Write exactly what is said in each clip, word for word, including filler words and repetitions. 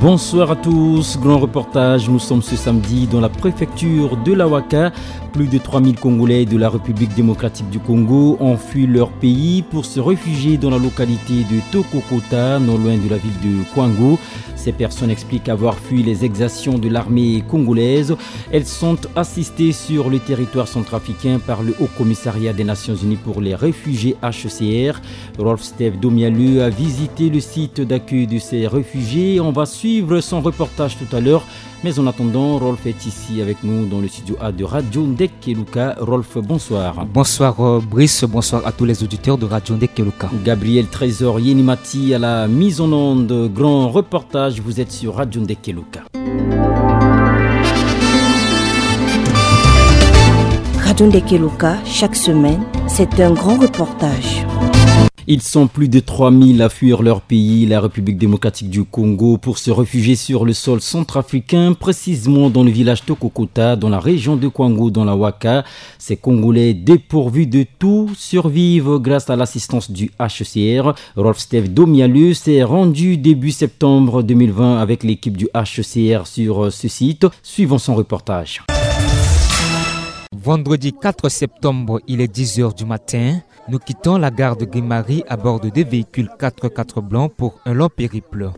Bonsoir à tous. Grand reportage. Nous sommes ce samedi dans la préfecture de la Waka. Plus de trois mille Congolais de la République démocratique du Congo ont fui leur pays pour se réfugier dans la localité de Tokokota, non loin de la ville de Kwango. Ces personnes expliquent avoir fui les exactions de l'armée congolaise. Elles sont assistées sur le territoire centrafricain par le Haut Commissariat des Nations Unies pour les réfugiés, H C R. Rolf Steve Domialeu a visité le site d'accueil de ces réfugiés. On va suivre son reportage tout à l'heure. Mais en attendant, Rolf est ici avec nous dans le studio A de Radio Ndekeluka. Rolf, bonsoir. Bonsoir, euh, Brice. Bonsoir à tous les auditeurs de Radio Ndekeluka. Gabriel Trésor Yenimati à la mise en onde. Grand reportage. Vous êtes sur Radio Ndekeluka. Radio Ndekeluka, chaque semaine, c'est un grand reportage. Ils sont plus de trois mille à fuir leur pays, la République démocratique du Congo, pour se réfugier sur le sol centrafricain, précisément dans le village Tokokota, dans la région de Kwango, dans la Waka. Ces Congolais dépourvus de tout survivent grâce à l'assistance du H C R. Rolf Steve Domialeu s'est rendu début septembre deux mille vingt avec l'équipe du H C R sur ce site. Suivons son reportage. Vendredi quatre septembre, il est dix heures du matin. Nous quittons la gare de Grimari à bord de deux véhicules quatre quatre blancs pour un long périple.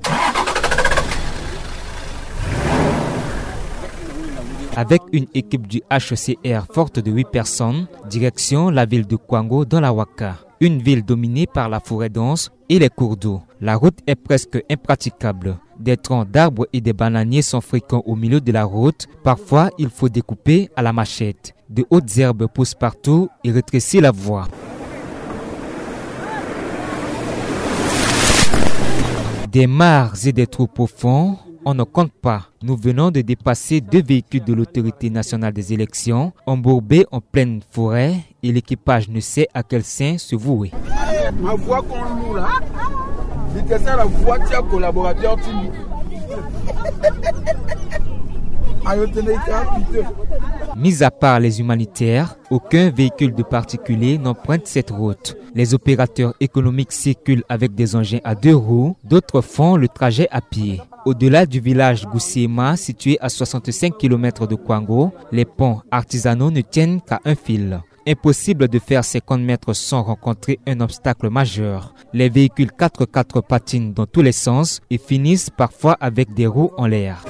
Avec une équipe du H C R forte de huit personnes, direction la ville de Kwango dans la Waka, une ville dominée par la forêt dense et les cours d'eau. La route est presque impraticable. Des troncs d'arbres et des bananiers sont fréquents au milieu de la route. Parfois, il faut découper à la machette. De hautes herbes poussent partout et rétrécissent la voie. Des mares et des trous profonds, on ne compte pas. Nous venons de dépasser deux véhicules de l'Autorité nationale des élections, embourbés en pleine forêt, et l'équipage ne sait à quel saint se vouer. Ma voix qu'on loue là, c'est ça la voix de collaborateur. Mis à part les humanitaires, aucun véhicule de particulier n'emprunte cette route. Les opérateurs économiques circulent avec des engins à deux roues, d'autres font le trajet à pied. Au-delà du village Goussiema, situé à soixante-cinq kilomètres de Kwango, les ponts artisanaux ne tiennent qu'à un fil. Impossible de faire cinquante mètres sans rencontrer un obstacle majeur. Les véhicules quatre quatre patinent dans tous les sens et finissent parfois avec des roues en l'air.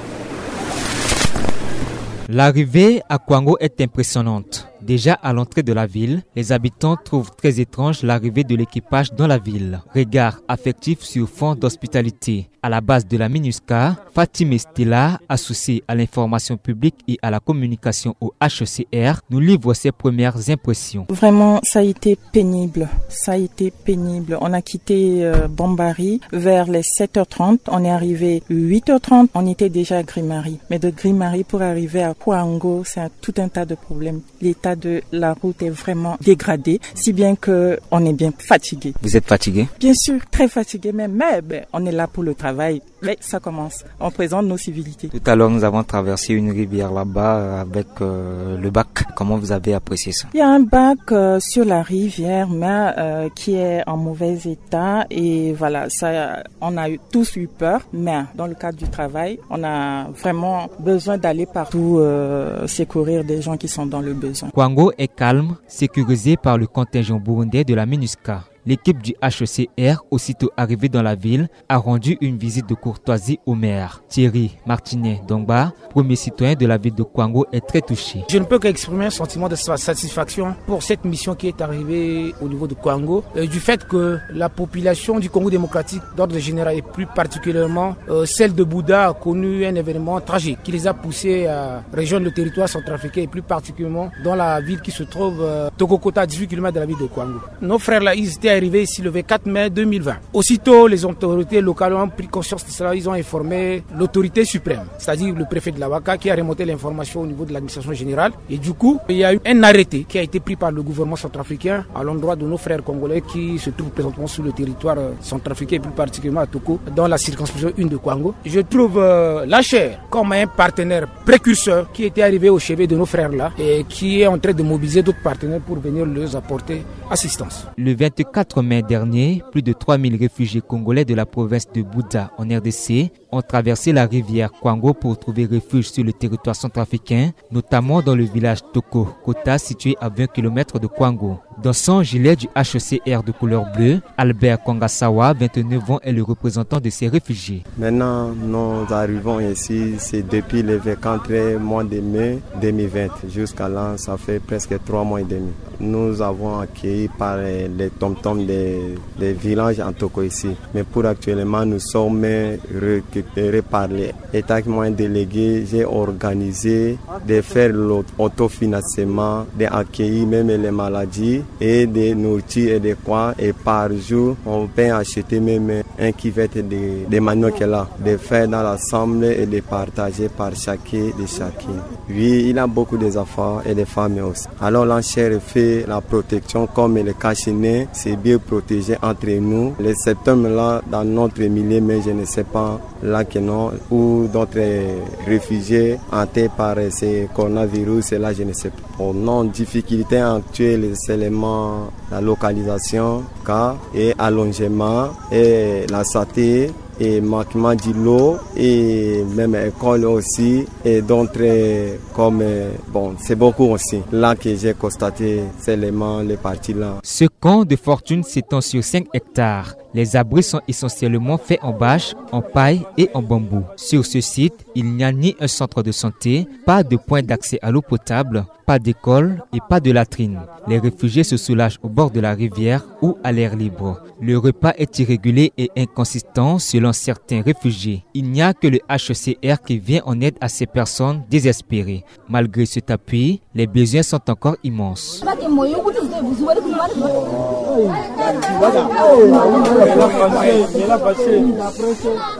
L'arrivée à Kwango est impressionnante. Déjà à l'entrée de la ville, les habitants trouvent très étrange l'arrivée de l'équipage dans la ville. Regard affectif sur fond d'hospitalité. À la base de la MINUSCA, Fatima Stella, associée à l'information publique et à la communication au H C R, nous livre ses premières impressions. Vraiment, ça a été pénible. Ça a été pénible. On a quitté, euh, Bambari vers les sept heures trente. On est arrivé huit heures trente. On était déjà à Grimari. Mais de Grimari pour arriver à Kwango, c'est un, tout un tas de problèmes. L'état de la route est vraiment dégradé, si bien que on est bien fatigué. Vous êtes fatigué ? Bien sûr, très fatigué même. Mais ben, on est là pour le travail. Mais ça commence. On présente nos civilités. Tout à l'heure, nous avons traversé une rivière là-bas, euh, avec, euh, le bac. Comment vous avez apprécié ça ? Il y a un bac, euh, sur la rivière, mais, euh, qui est en mauvais état. Et voilà, ça, on a eu, tous eu peur. Mais dans le cadre du travail, on a vraiment besoin d'aller partout, euh, secourir des gens qui sont dans le besoin. Kwango est calme, sécurisé par le contingent burundais de la MINUSCA. L'équipe du H C R, aussitôt arrivée dans la ville, a rendu une visite de courtoisie au maire. Thierry Martinet Dongba, premier citoyen de la ville de Kwango, est très touché. Je ne peux qu'exprimer un sentiment de sa-, satisfaction pour cette mission qui est arrivée au niveau de Kwango, euh, du fait que la population du Congo démocratique, d'ordre général et plus particulièrement, euh, celle de Bouda, a connu un événement tragique qui les a poussés à rejoindre le territoire centrafricain et plus particulièrement dans la ville qui se trouve, euh, Tokokota, à dix-huit kilomètres de la ville de Kwango. Nos frères là, ils étaient arrivés ici le vingt-quatre mai deux mille vingt. Aussitôt, les autorités locales ont pris conscience de cela, ils ont informé l'autorité suprême, c'est-à-dire le préfet de la Waka, qui a remonté l'information au niveau de l'administration générale. Et du coup, il y a eu un arrêté qui a été pris par le gouvernement centrafricain à l'endroit de nos frères congolais qui se trouvent présentement sur le territoire, euh, centrafricain et plus particulièrement à Toko, dans la circonscription un de Kwango. Je trouve, euh, l'H C R comme un partenaire précurseur qui était arrivé au chevet de nos frères là et qui est en train de mobiliser d'autres partenaires pour venir leur apporter assistance. Le vingt-quatre quatre mai dernier, plus de trois mille réfugiés congolais de la province de Buza en R D C ont traversé la rivière Kwango pour trouver refuge sur le territoire centrafricain, notamment dans le village Toko Kota, situé à vingt kilomètres de Kwango. Dans son gilet du H C R de couleur bleue, Albert Kongasawa, vingt-neuf ans, est le représentant de ces réfugiés. Maintenant, nous arrivons ici, c'est depuis le vingt-quatre mois de mai deux mille vingt. Jusqu'à là, ça fait presque trois mois et demi. Nous avons accueilli par les tom-tom des, des villages en Toko ici. Mais pour actuellement, nous sommes récupérés par les. Étant que moi un délégué, j'ai organisé de faire l'autofinancement, d'accueillir même les maladies et de nourriture et de quoi. Et par jour, on peut acheter même un cuvette de, de manioc là, de faire dans l'ensemble et de partager par chacun de chacun. Oui, il y a beaucoup d'enfants et des femmes aussi. Alors l'enchère fait la protection comme le cache-nez, c'est bien protégé entre nous. Le septembre là, dans notre milieu, mais je ne sais pas là que non, où d'autres réfugiés hantés par ce coronavirus, là, je ne sais pas. Bon, non, difficulté actuelle, c'est seulement la localisation, cas et allongement et la santé et manquement de l'eau et même école aussi et d'autres comme, bon, c'est beaucoup aussi. Là que j'ai constaté seulement les parties là. Ce camp de fortune s'étend sur cinq hectares. Les abris sont essentiellement faits en bâche, en paille et en bambou. Sur ce site, il n'y a ni un centre de santé, pas de point d'accès à l'eau potable, pas d'école et pas de latrine. Les réfugiés se soulagent au bord de la rivière ou à l'air libre. Le repas est irrégulier et inconsistant selon certains réfugiés. Il n'y a que le H C R qui vient en aide à ces personnes désespérées. Malgré cet appui, les besoins sont encore immenses.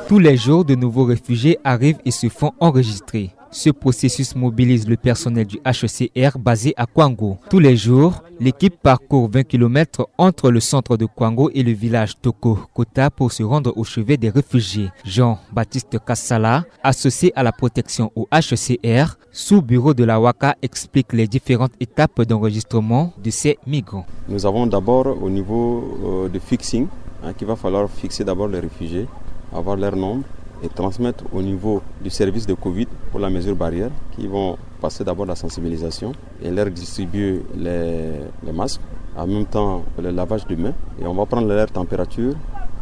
Tous les jours, de nouveaux réfugiés arrivent et se font enregistrer. Ce processus mobilise le personnel du H C R basé à Kwango. Tous les jours, l'équipe parcourt vingt kilomètres entre le centre de Kwango et le village Toko Kota pour se rendre au chevet des réfugiés. Jean-Baptiste Kassala, associé à la protection au H C R, sous-bureau de la Waka, explique les différentes étapes d'enregistrement de ces migrants. Nous avons d'abord au niveau, euh, de fixing, hein, qu'il va falloir fixer d'abord les réfugiés, avoir leur nombre et transmettre au niveau du service de covid pour la mesure barrière, qui vont passer d'abord la sensibilisation et leur distribuer les, les masques, en même temps le lavage de mains, et on va prendre leur température.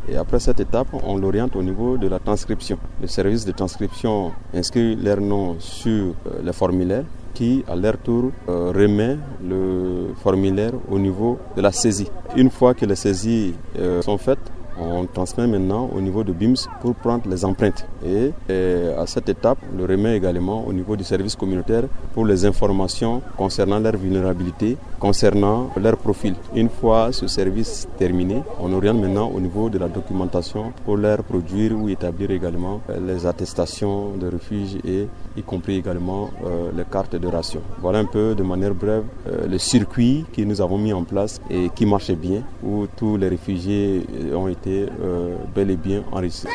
Et après cette étape, on l'oriente au niveau de la transcription. Le service de transcription inscrit leur nom sur, euh, le formulaire qui, à leur tour, euh, remet le formulaire au niveau de la saisie. Une fois que les saisies, euh, sont faites, on transmet maintenant au niveau de bims pour prendre les empreintes. Et, euh, à cette étape, on le remet également au niveau du service communautaire pour les informations concernant leur vulnérabilité, concernant leur profil. Une fois ce service terminé, on oriente maintenant au niveau de la documentation pour leur produire ou établir également, euh, les attestations de refuge et y compris également, euh, les cartes de ration. Voilà un peu de manière brève, euh, le circuit que nous avons mis en place et qui marche bien, où tous les réfugiés, euh, ont été, euh, bel et bien enregistrés.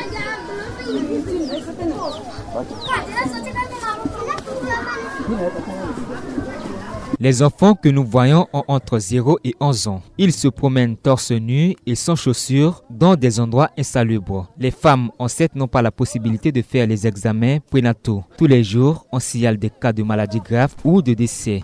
Les enfants que nous voyons ont entre zéro et onze ans. Ils se promènent torse nu et sans chaussures dans des endroits insalubres. Les femmes enceintes n'ont pas la possibilité de faire les examens prénataux. Tous les jours, on signale des cas de maladies graves ou de décès.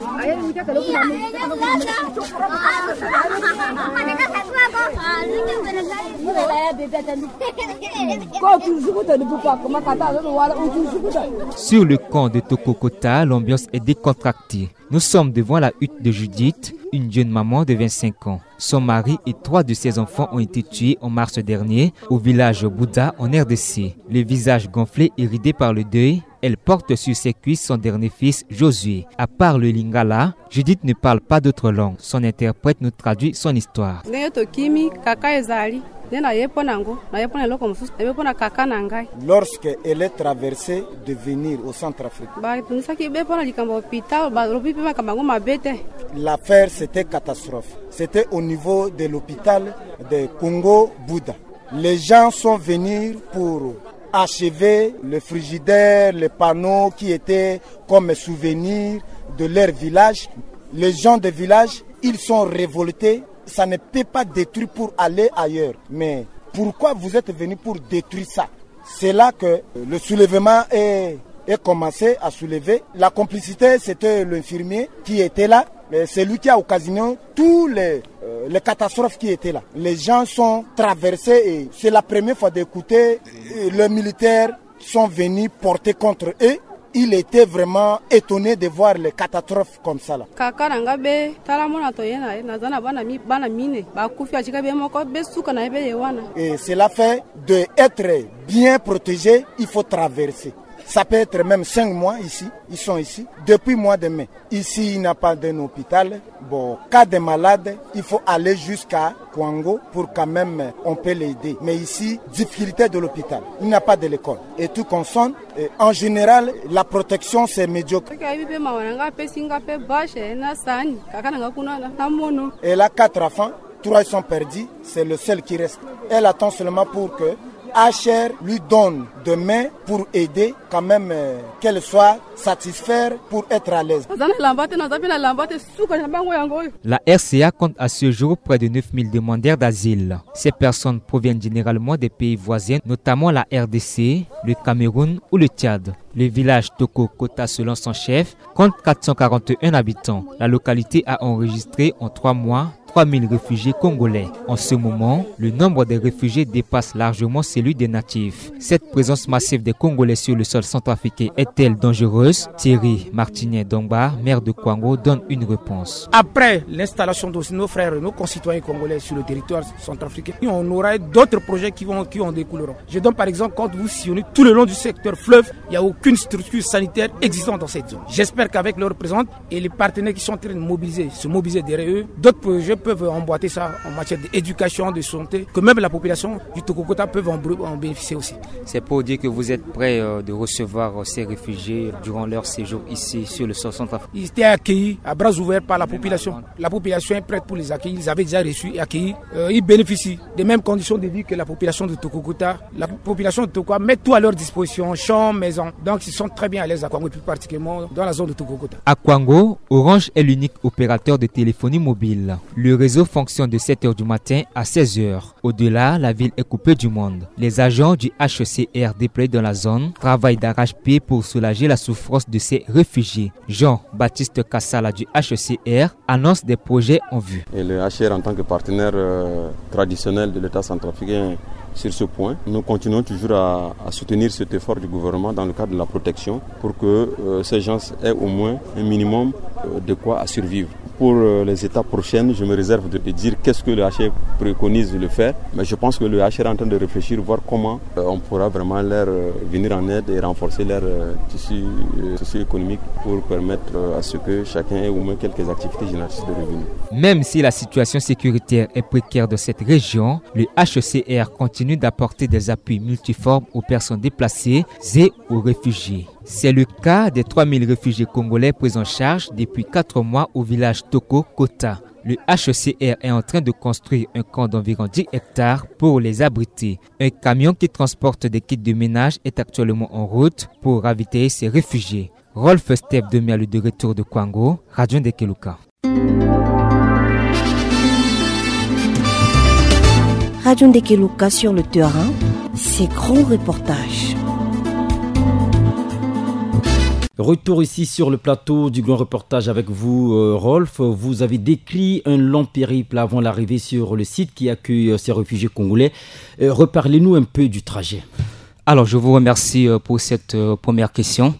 Sur le camp de Toko Kota, l'ambiance est décontractée. Nous sommes devant la hutte de Judith, une jeune maman de vingt-cinq ans. Son mari et trois de ses enfants ont été tués en mars dernier au village Buza en R D C. Le visage gonflé et ridé par le deuil, elle porte sur ses cuisses son dernier fils, Josué. À part le lingala, Judith ne parle pas d'autre langue. Son interprète nous traduit son histoire. Ndenge tokimi, kaka ezali. Nde naye mpo na yango, naye mpo na eloko mosusu, naye mpo na kaka na ngai. Lorsque elle est traversée de venir au centre africain, batungisaki be mpo na likambo ya hôpital, balobi mpe makambo yango mabe te. L'affaire, c'était catastrophe. C'était au niveau de l'hôpital de Congo Bouddha. Les gens sont venus pour achever le frigidaire, les panneaux qui étaient comme souvenir de leur village. Les gens de village, ils sont révoltés Ça ne peut pas détruire pour aller ailleurs. Mais pourquoi vous êtes venu pour détruire ça ? C'est là que le soulèvement est, est commencé à soulever. La complicité, c'était l'infirmier qui était là. C'est lui qui a occasionné tous les, euh, les catastrophes qui étaient là. Les gens sont traversés et c'est la première fois d'écouter, euh, les militaires sont venus porter contre eux. Il était vraiment étonné de voir les catastrophes comme ça là. Kaka na nga be tala mona to ye na ye, naza na bana mi bana mine ba kufi atika be moko be suka na ye be ye wana. Et cela fait de être bien protégé, il faut traverser. Ça peut être même cinq mois ici, ils sont ici depuis mois de mai. Ici il n'y a pas d'un hôpital. Bon, cas de malade, il faut aller jusqu'à Kwango pour quand même on peut l'aider. Mais ici, difficulté de l'hôpital. Il n'y a pas de l'école. Et tout consonne, et en général, la protection c'est médiocre. Kaka ye be mawa na nga apesi nga pe bashe na sani kaka na nga kuna na mono. Elle a quatre enfants, trois sont perdus, c'est le seul qui reste. Elle attend seulement pour que H R lui donne de main pour aider quand même, euh, qu'elle soit satisfaite pour être à l'aise. Naza na lamba te, naza pe na lamba te, suka na bango yango oyo. La R C A compte à ce jour près de neuf mille demandeurs d'asile. Ces personnes proviennent généralement des pays voisins, notamment la R D C, le Cameroun ou le Tchad. Le village Toko Kota, selon son chef, compte quatre cent quarante et un habitants. La localité a enregistré en trois mois trois mille réfugiés congolais. En ce moment, le nombre des réfugiés dépasse largement celui des natifs. Cette présence massive des Congolais sur le sol centrafricain est-elle dangereuse ? Thierry Martinier Dongba, maire de Kwango, donne une réponse. Après l'installation de nos frères et nos concitoyens congolais sur le territoire centrafricain, on aura d'autres projets qui vont, qui en découleront. Je donne par exemple, quand vous sillonnez tout le long du secteur fleuve, il n'y a aucune structure sanitaire existante dans cette zone. J'espère qu'avec leur présence et les partenaires qui sont en train de mobiliser, se mobiliser derrière eux, d'autres projets peuvent emboîter ça en matière d'éducation, de santé, que même la population du Toko Kota peuvent en, en bénéficier aussi. C'est pour dire que vous êtes prêts, euh, de recevoir, euh, ces réfugiés durant leur séjour ici sur le sol centrafricain. Ils étaient accueillis à bras ouverts par la population. La population est prête pour les accueillir. Ils avaient déjà reçu et accueilli. Euh, ils bénéficient des mêmes conditions de vie que la population de Toko Kota. La population de Toko met tout à leur disposition, champs, maisons. Donc, ils sont très bien à l'aise à Kwango, et plus particulièrement dans la zone de Toko Kota. À Kwango, Orange est l'unique opérateur de téléphonie mobile. Le réseau fonctionne de sept heures du matin à seize heures. Au-delà, la ville est coupée du monde. Les agents du H C R déployés dans la zone travaillent d'arrache-pied pour soulager la souffrance de ces réfugiés. Jean-Baptiste Kassala du H C R annonce des projets en vue. Et le H C R, en tant que partenaire, euh, traditionnel de l'État centrafricain sur ce point, nous continuons toujours à, à soutenir cet effort du gouvernement dans le cadre de la protection pour que, euh, ces gens aient au moins un minimum, euh, de quoi à survivre. Pour, euh, les étapes prochaines, je me réserve de, de dire qu'est-ce que le H C R préconise de le faire, mais je pense que le H C R est en train de réfléchir, voir comment, euh, on pourra vraiment leur, euh, venir en aide et renforcer leur, euh, tissu, euh, socio-économique pour permettre, euh, à ce que chacun ait au moins quelques activités génératrices de revenus. Même si la situation sécuritaire est précaire dans cette région, le H C R continue d'apporter des appuis multiformes aux personnes déplacées et aux réfugiés. C'est le cas des trois mille réfugiés congolais pris en charge depuis quatre mois au village Toko Kota. Le H C R est en train de construire un camp d'environ dix hectares pour les abriter. Un camion qui transporte des kits de ménage est actuellement en route pour ravitailler ces réfugiés. Rolf Steph Demialu de retour de Kwango, Radio Ndekeluka. Radio Ndekeluka sur le terrain, ses grands reportages. Retour ici sur le plateau du grand reportage avec vous, euh, Rolf. Vous avez décrit un long périple avant l'arrivée sur le site qui accueille, euh, ces réfugiés congolais. Euh, reparlez-nous un peu du trajet. Alors, je vous remercie, euh, pour cette, euh, première question.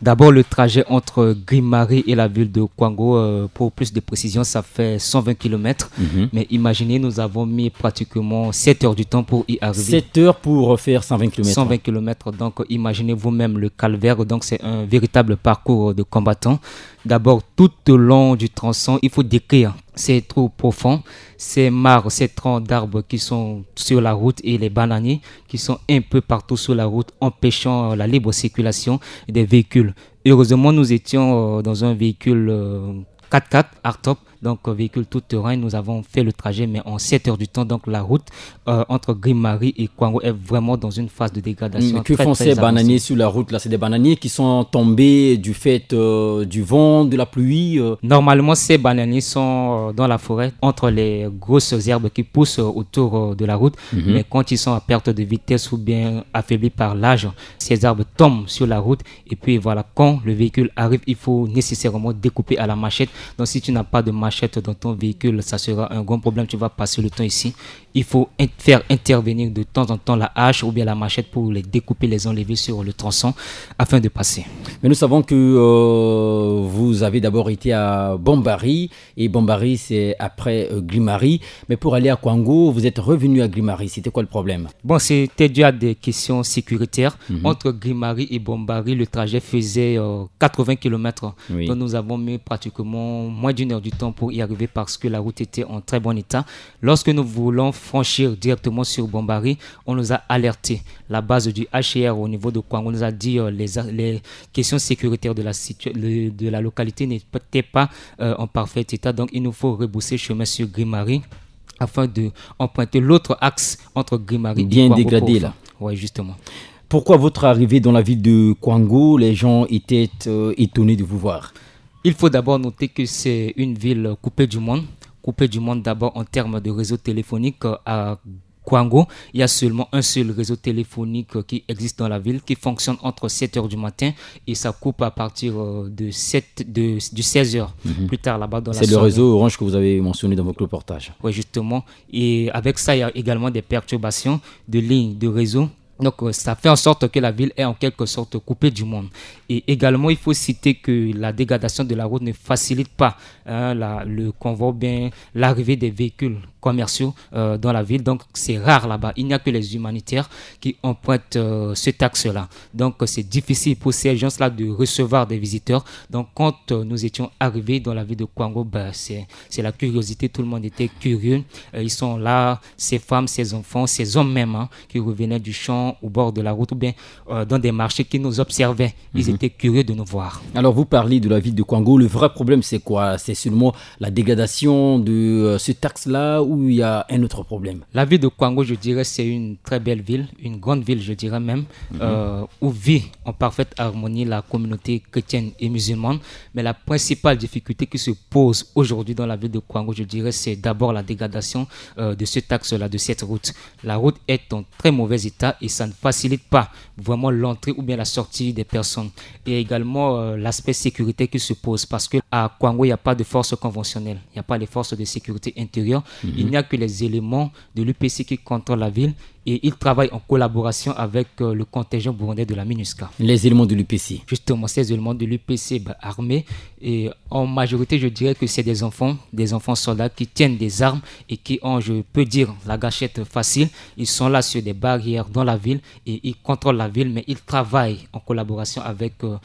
D'abord, le trajet entre Grimari et la ville de Kwango, euh, pour plus de précision, ça fait cent vingt kilomètres. Mhm. Mais imaginez, nous avons mis pratiquement sept heures du temps pour y arriver. Sept heures pour faire cent vingt kilomètres. Cent vingt kilomètres, donc imaginez vous-même le calvaire. Donc, c'est un véritable parcours de combattant. D'abord, tout au long du tronçon, il faut décrire ces trous profonds, ces mares, ces troncs d'arbres qui sont sur la route et les bananiers qui sont un peu partout sur la route, empêchant, euh, la libre circulation des véhicules. Heureusement, nous étions, euh, dans un véhicule, euh, quatre-quatre hardtop. Donc, euh, véhicule tout-terrain, nous avons fait le trajet, mais en sept heures du temps, donc la route euh, entre Grimari et Kwango est vraiment dans une phase de dégradation. Mm, que font ces bananiers sur la route là ? C'est des bananiers qui sont tombés du fait euh, du vent, de la pluie euh. Normalement, ces bananiers sont euh, dans la forêt, entre les grosses herbes qui poussent euh, autour euh, de la route. Mm -hmm. Mais quand ils sont à perte de vitesse ou bien affaiblis par l'âge, ces arbres tombent sur la route. Et puis voilà, quand le véhicule arrive, il faut nécessairement découper à la machette. Donc si tu n'as pas de machette dans ton véhicule, ça sera un grand problème. Tu vas passer le temps ici. Il faut faire intervenir de temps en temps la hache ou bien la machette pour les découper, les enlever sur le tronçon afin de passer. Mais nous savons que euh, vous avez d'abord été à Bombari, et Bombari, c'est après euh, Grimari. Mais pour aller à Kwango, vous êtes revenu à Grimari. C'était quoi le problème ? Bon, c'était dû à des questions sécuritaires. Mm -hmm. Entre Grimari et Bombari, le trajet faisait euh, quatre-vingts kilomètres. Oui. Donc nous avons mis pratiquement moins d'une heure du temps pour y arriver parce que la route était en très bon état. Lorsque nous voulons franchir directement sur Bombari, on nous a alerté. La base du H C R au niveau de Kwango nous a dit euh, les, les questions sécuritaires de la, de la localité n'étaient pas euh, en parfait état. Donc il nous faut rebousser chemin sur Grimari afin d'emprunter l'autre axe entre Grimari et Kwango. Bien dégradé là. Oui, justement. Pourquoi votre arrivée dans la ville de Kwango, les gens étaient euh, étonnés de vous voir ? Il faut d'abord noter que c'est une ville coupée du monde. Coupée du monde d'abord en termes de réseau téléphonique. Euh, à Kwango, il y a seulement un seul réseau téléphonique euh, qui existe dans la ville, qui fonctionne entre sept heures du matin et ça coupe à partir euh, de sept, de, du seize heures. Mm -hmm. Plus tard là-bas dans la soirée. C'est le réseau Orange que vous avez mentionné dans votre reportage. Oui, justement. Et avec ça, il y a également des perturbations de lignes de réseau. Donc, euh, ça fait en sorte que la ville est en quelque sorte coupée du monde. Et également, il faut citer que la dégradation de la route ne facilite pas hein, la, le convoi, bien l'arrivée des véhicules commerciaux euh, dans la ville. Donc, c'est rare là-bas. Il n'y a que les humanitaires qui empruntent euh, ce taxe-là. Donc, c'est difficile pour ces gens-là de recevoir des visiteurs. Donc, quand euh, nous étions arrivés dans la ville de Kwango, ben, c'est la curiosité. Tout le monde était curieux. Euh, ils sont là, ces femmes, ces enfants, ces hommes même, hein, qui revenaient du champ au bord de la route ou bien euh, dans des marchés qui nous observaient. Ils mm -hmm. étaient curieux de nous voir. Alors, vous parlez de la ville de Kwango. Le vrai problème, c'est quoi ? C'est seulement la dégradation de euh, ce taxe-là ou il y a un autre problème ? La ville de Kwango, je dirais, c'est une très belle ville, une grande ville, je dirais même, mm -hmm. euh, où vit en parfaite harmonie la communauté chrétienne et musulmane. Mais la principale difficulté qui se pose aujourd'hui dans la ville de Kwango, je dirais, c'est d'abord la dégradation euh, de ce taxe-là, de cette route. La route est en très mauvais état et ça ne facilite pas vraiment l'entrée ou bien la sortie des personnes. Et également euh, l'aspect sécurité qui se pose parce que à Kwango, il n'y a pas de force conventionnelle, il n'y a pas les forces de sécurité intérieure. Mm -hmm. Il n'y a que les éléments de l'U P C qui contrôlent la ville et ils travaillent en collaboration avec euh, le contingent burundais de la MINUSCA. Les éléments de l'U P C ? Justement, ces éléments de l'U P C bah, armés et en majorité, je dirais que c'est des enfants, des enfants soldats qui tiennent des armes et qui ont, je peux dire, la gâchette facile. Ils sont là sur des barrières dans la ville et ils contrôlent la ville, mais ils travaillent en collaboration avec euh,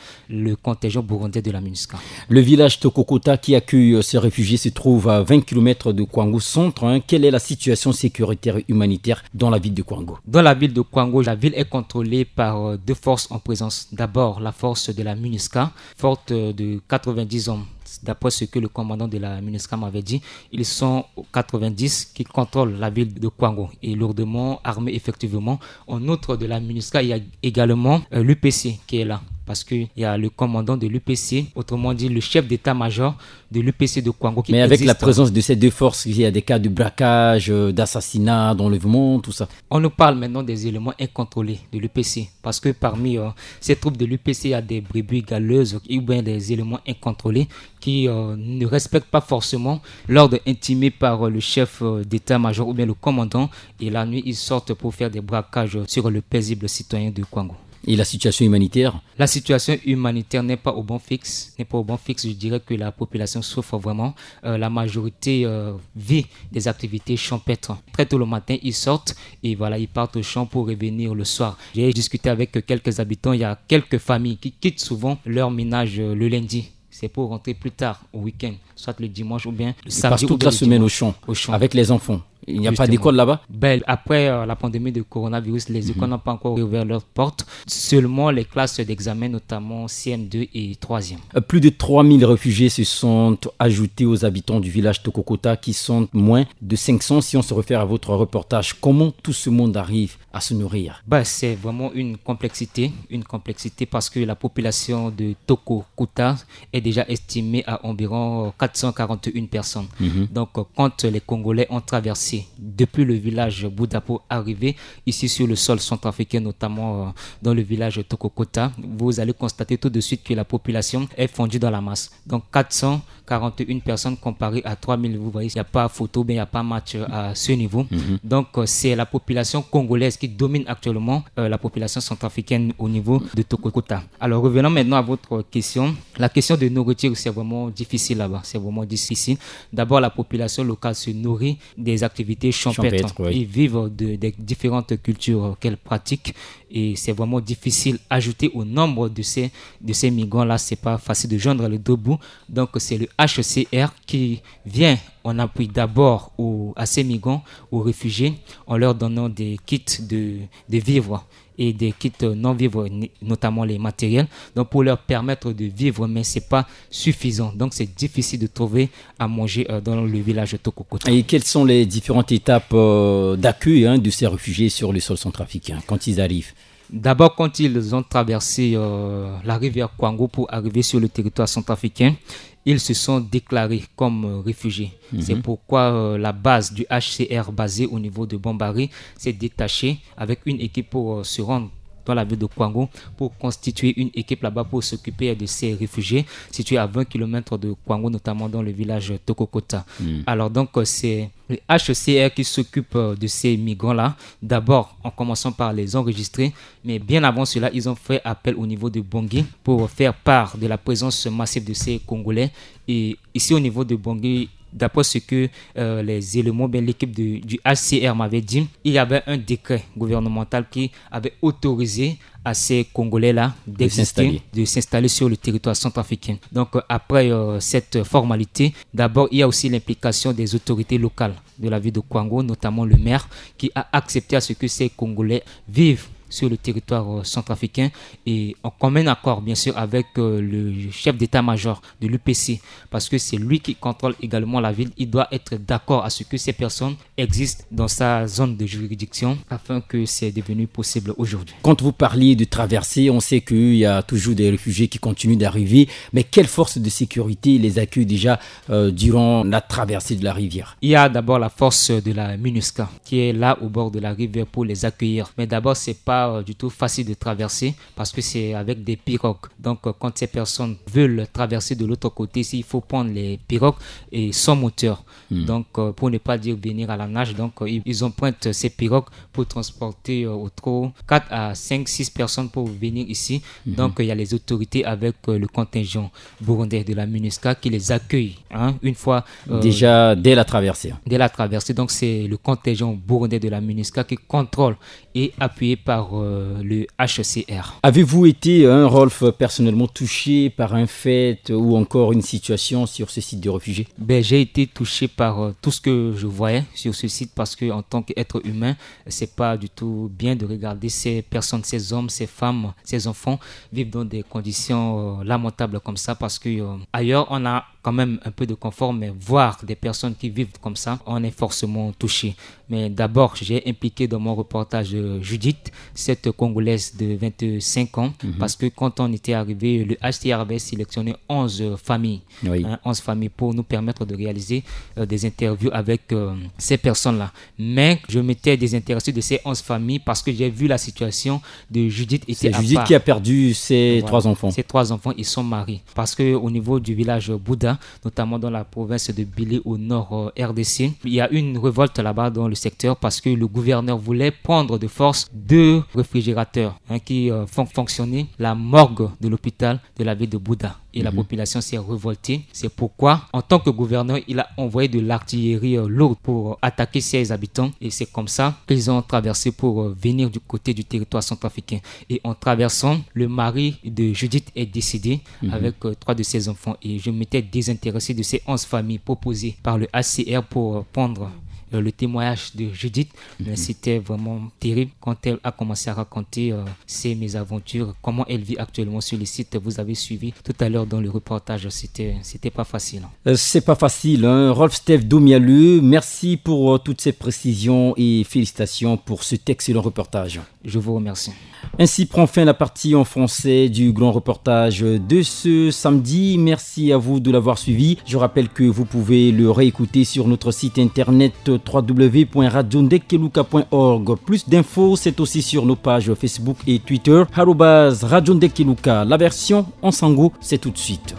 le contingent burundais de la MINUSCA. Le village Tokokota qui accueille euh, ces réfugiés se trouve à vingt kilomètres de Kwango centre. Hein. Quelle est la situation sécuritaire et humanitaire dans la ville de Kwango ? Dans la ville de Kwango, la ville est contrôlée par euh, deux forces en présence. D'abord, la force de la MINUSCA, forte euh, de quatre-vingt-dix hommes. D'après ce que le commandant de la MINUSCA m'avait dit, ils sont quatre-vingt-dix qui contrôlent la ville de Kwango et lourdement armés effectivement. En outre de la MINUSCA, il y a également euh, l'U P C qui est là parce qu'il y a le commandant de l'U P C, autrement dit le chef d'état-major de l'U P C de Kwango qui existe. Mais avec la présence de ces deux forces, il y a des cas de braquage, euh, d'assassinat, d'enlèvement, tout ça. On nous parle maintenant des éléments incontrôlés de l'U P C parce que parmi euh, ces troupes de l'U P C, il y a des brebis galeuses ou bien des éléments incontrôlés qui euh, ne respectent pas forcément l'ordre intimé par euh, le chef euh, d'état-major ou bien le commandant. Et la nuit, ils sortent pour faire des braquages sur le paisible citoyen de Kwango. Et la situation humanitaire ? La situation humanitaire n'est pas au bon fixe. N'est pas au bon fixe. Je dirais que la population souffre vraiment. Euh, la majorité euh, vit des activités champêtres. Très tôt le matin, ils sortent et voilà, ils partent au champ pour revenir le soir. J'ai discuté avec quelques habitants. Il y a quelques familles qui quittent souvent leur ménage euh, le lundi. C'est pour rentrer plus tard au week-end, soit le dimanche ou bien le samedi. Ils passent toute la semaine au champ, au champ avec les enfants. Il n'y a pas d'école là-bas ? Ben, après euh, la pandémie de coronavirus, les écoles n'ont pas encore ouvert leurs portes. Seulement les classes d'examen, notamment C M deux et troisième. Euh, plus de trois mille réfugiés se sont ajoutés aux habitants du village Tokokota, qui sont moins de cinq cents si on se réfère à votre reportage. Comment tout ce monde arrive à se nourrir ? Ben, c'est vraiment une complexité, une complexité parce que la population de Tokokota est déjà estimée à environ quatre cent quarante et une personnes. Donc, euh, quand les Congolais ont traversé depuis le village Bouda pour arriver ici sur le sol centrafricain, notamment euh, dans le village Tokokota, vous allez constater tout de suite que la population est fondue dans la masse. Donc, quatre cent quarante et une personnes comparées à trois mille, vous voyez, il n'y a pas photo, mais il n'y a pas match euh, à ce niveau. Donc, euh, c'est la population congolaise qui domine actuellement euh, la population centrafricaine au niveau de Tokokota. Alors, revenons maintenant à votre question. La question de nourriture, c'est vraiment difficile là-bas. C'est vraiment difficile. D'abord, la population locale se nourrit des activités champêtres. Champêtres, oui. Ils vivent de, des différentes cultures qu'elles pratiquent. Et c'est vraiment difficile. Ajouter au nombre de ces, de ces migrants-là, c'est pas facile de joindre les deux bouts. Donc, c'est le H C R qui vient en appui d'abord aux, à ces migrants, aux réfugiés, en leur donnant des kits de, de vivres et des kits non vivres, notamment les matériels, donc pour leur permettre de vivre, mais c'est pas suffisant. Donc, c'est difficile de trouver à manger euh, dans le village Tokokota. Et quelles sont les différentes étapes euh, d'accueil hein, de ces réfugiés sur le sol centrafricain quand ils arrivent ? D'abord, quand ils ont traversé euh, la rivière Kwango pour arriver sur le territoire centrafricain, ils se sont déclarés comme euh, réfugiés. C'est pourquoi euh, la base du H C R basée au niveau de Bombari s'est détachée avec une équipe pour euh, se rendre dans la ville de Kwango pour constituer une équipe là-bas pour s'occuper de ces réfugiés situés à vingt kilomètres de Kwango, notamment dans le village Tokokota. Alors donc, euh, c'est le H C R qui s'occupe euh, de ces migrants-là, d'abord en commençant par les enregistrer, mais bien avant cela, ils ont fait appel au niveau de Bangui pour faire part de la présence massive de ces Congolais. Et ici au niveau de Bangui, d'après ce que euh, les éléments, bien l'équipe de- du H C R m'avait dit, il y avait un décret gouvernemental qui avait autorisé à ces Congolais-là d'exister, s'installer. De s'installer sur le territoire centrafricain. Donc euh, après euh, cette formalité, d'abord il y a aussi l'implication des autorités locales de la ville de Kwango, notamment le maire, qui a accepté à ce que ces Congolais vivent sur le territoire euh, centrafricain et en commun accord, bien sûr, avec euh, le chef d'état-major de l'U P C, parce que c'est lui qui contrôle également la ville. Il doit être d'accord à ce que ces personnes existent dans sa zone de juridiction afin que c'est devenu possible aujourd'hui. Quand vous parliez de traversée, on sait qu'il y a toujours des réfugiés qui continuent d'arriver, mais quelle force de sécurité les accueille déjà euh, durant la traversée de la rivière ? Il y a d'abord la force de la MINUSCA qui est là au bord de la rivière pour les accueillir. Mais d'abord, c'est pas euh, du tout facile de traverser parce que c'est avec des pirogues. Donc, euh, quand ces personnes veulent traverser de l'autre côté, il faut prendre les pirogues et sans moteur. Donc, euh, pour ne pas dire venir à la nage, donc euh, ils, ils empruntent ces pirogues pour transporter euh, au trop quatre à cinq, six personnes pour venir ici. Donc, euh, il y a les autorités avec euh, le contingent burundais de la MINUSCA qui les accueille hein, une fois euh, déjà dès la traversée. Dès la traversée. Donc, c'est le contingent burundais de la MINUSCA qui contrôle et appuyé par euh, le H C R. Avez-vous été, hein, Rolf, personnellement touché par un fait ou encore une situation sur ce site de réfugiés ? Ben, j'ai été touché par euh, tout ce que je voyais sur ce site parce que en tant qu'être humain, c'est pas du tout bien de regarder ces personnes, ces hommes, ces femmes, ces enfants vivre dans des conditions euh, lamentables comme ça parce que euh, ailleurs on a quand même un peu de confort, mais voir des personnes qui vivent comme ça, on est forcément touché. Mais d'abord, j'ai impliqué dans mon reportage euh, Judith, cette Congolaise de vingt-cinq ans, parce que quand on était arrivé, le H C R avait sélectionné onze familles. Oui. Hein, onze familles pour nous permettre de réaliser euh, des interviews avec euh, ces personnes-là. Mais je m'étais désintéressé de ces onze familles parce que j'ai vu la situation de Judith. C'est Judith qui a perdu ses trois enfants. Ses trois enfants, ils sont mariés. Parce que au niveau du village Bouda, notamment dans la province de Bili au nord euh, R D C, il y a une révolte là-bas dans le secteur parce que le gouverneur voulait prendre de force deux réfrigérateurs hein, qui euh, font fonctionner la morgue de l'hôpital de la ville de Bouda. Et la population s'est révoltée. C'est pourquoi, en tant que gouverneur, il a envoyé de l'artillerie euh, lourde pour euh, attaquer ses habitants. Et c'est comme ça qu'ils ont traversé pour euh, venir du côté du territoire centrafricain. Et en traversant, le mari de Judith est décédé avec euh, trois de ses enfants. Et je m'étais désintéressé de ces onze familles proposées par le H C R pour euh, prendre euh, le témoignage de Judith. Mais c'était vraiment terrible quand elle a commencé à raconter, euh, ses mésaventures, comment elle vit actuellement sur le site. Vous avez suivi tout à l'heure dans le reportage. C'était, c'était pas facile, hein. Euh, c'est pas facile, hein. Rolf Steph Domialeux, merci pour, euh, toutes ces précisions et félicitations pour cet excellent reportage. Je vous remercie. Ainsi prend fin la partie en français du grand reportage de ce samedi. Merci à vous de l'avoir suivi. Je rappelle que vous pouvez le réécouter sur notre site internet trois w point radio ndekeluka point org. Plus d'infos, c'est aussi sur nos pages Facebook et Twitter, arobase radio ndekeluka. La version en sango, c'est tout de suite.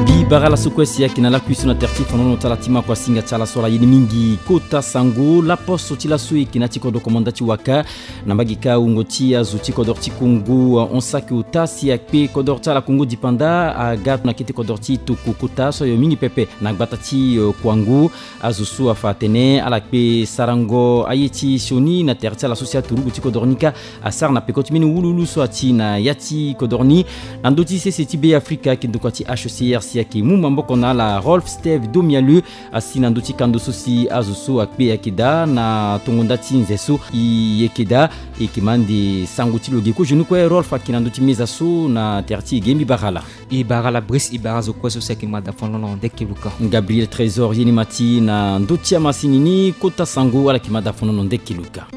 Mbi bara ala so kue si ayeke na lakui so na tere ti fanono ti ala ti maku asinga ti ala so ala ye ni mingi kota sango. Laposo ti laso e yeke na ya ti kodro komanda ti waka. Na mbage kâ wungo ti azo ti kodro ti Kongo, uh, hon saki ota si akpe kodro ti ala Kongo dipanda aga na kete kodro ti toko kota so ayo mingi pepe na gbata ti, uh, Kouangou. Azo so afa atene ala kpe sarango aye ti sioni na tere ti ala so si aturugu ti kodro ni kâ asara na peko ti mbeni wuluwulu so ati na ya ti kodro ni. Na ndö ti sese ti Beafrika, ayeke ndokua ti H C R si ayeke mu maboko na ala, Rolf Steph Domialeux, asi na ndö ti kando so si azo so akpe ayeke daa na tongo nda ti nze so e yeke daa. E yeke ma ande sango ti lo ge. Kozoni kue Rolf ayeke na ndö ti meza so na tere ti e ge. Mbi bara ala. E bara ala Brice, e bara azo kue so si ayeke mada fondolo nde keluka. Gabriel Trésor ye ni ma ti na ndö ti amasini ni kota sango ala yeke mada fondolo nde keluka.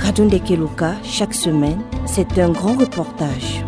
Radio Ndekeluka, chaque semaine, c'est un grand reportage.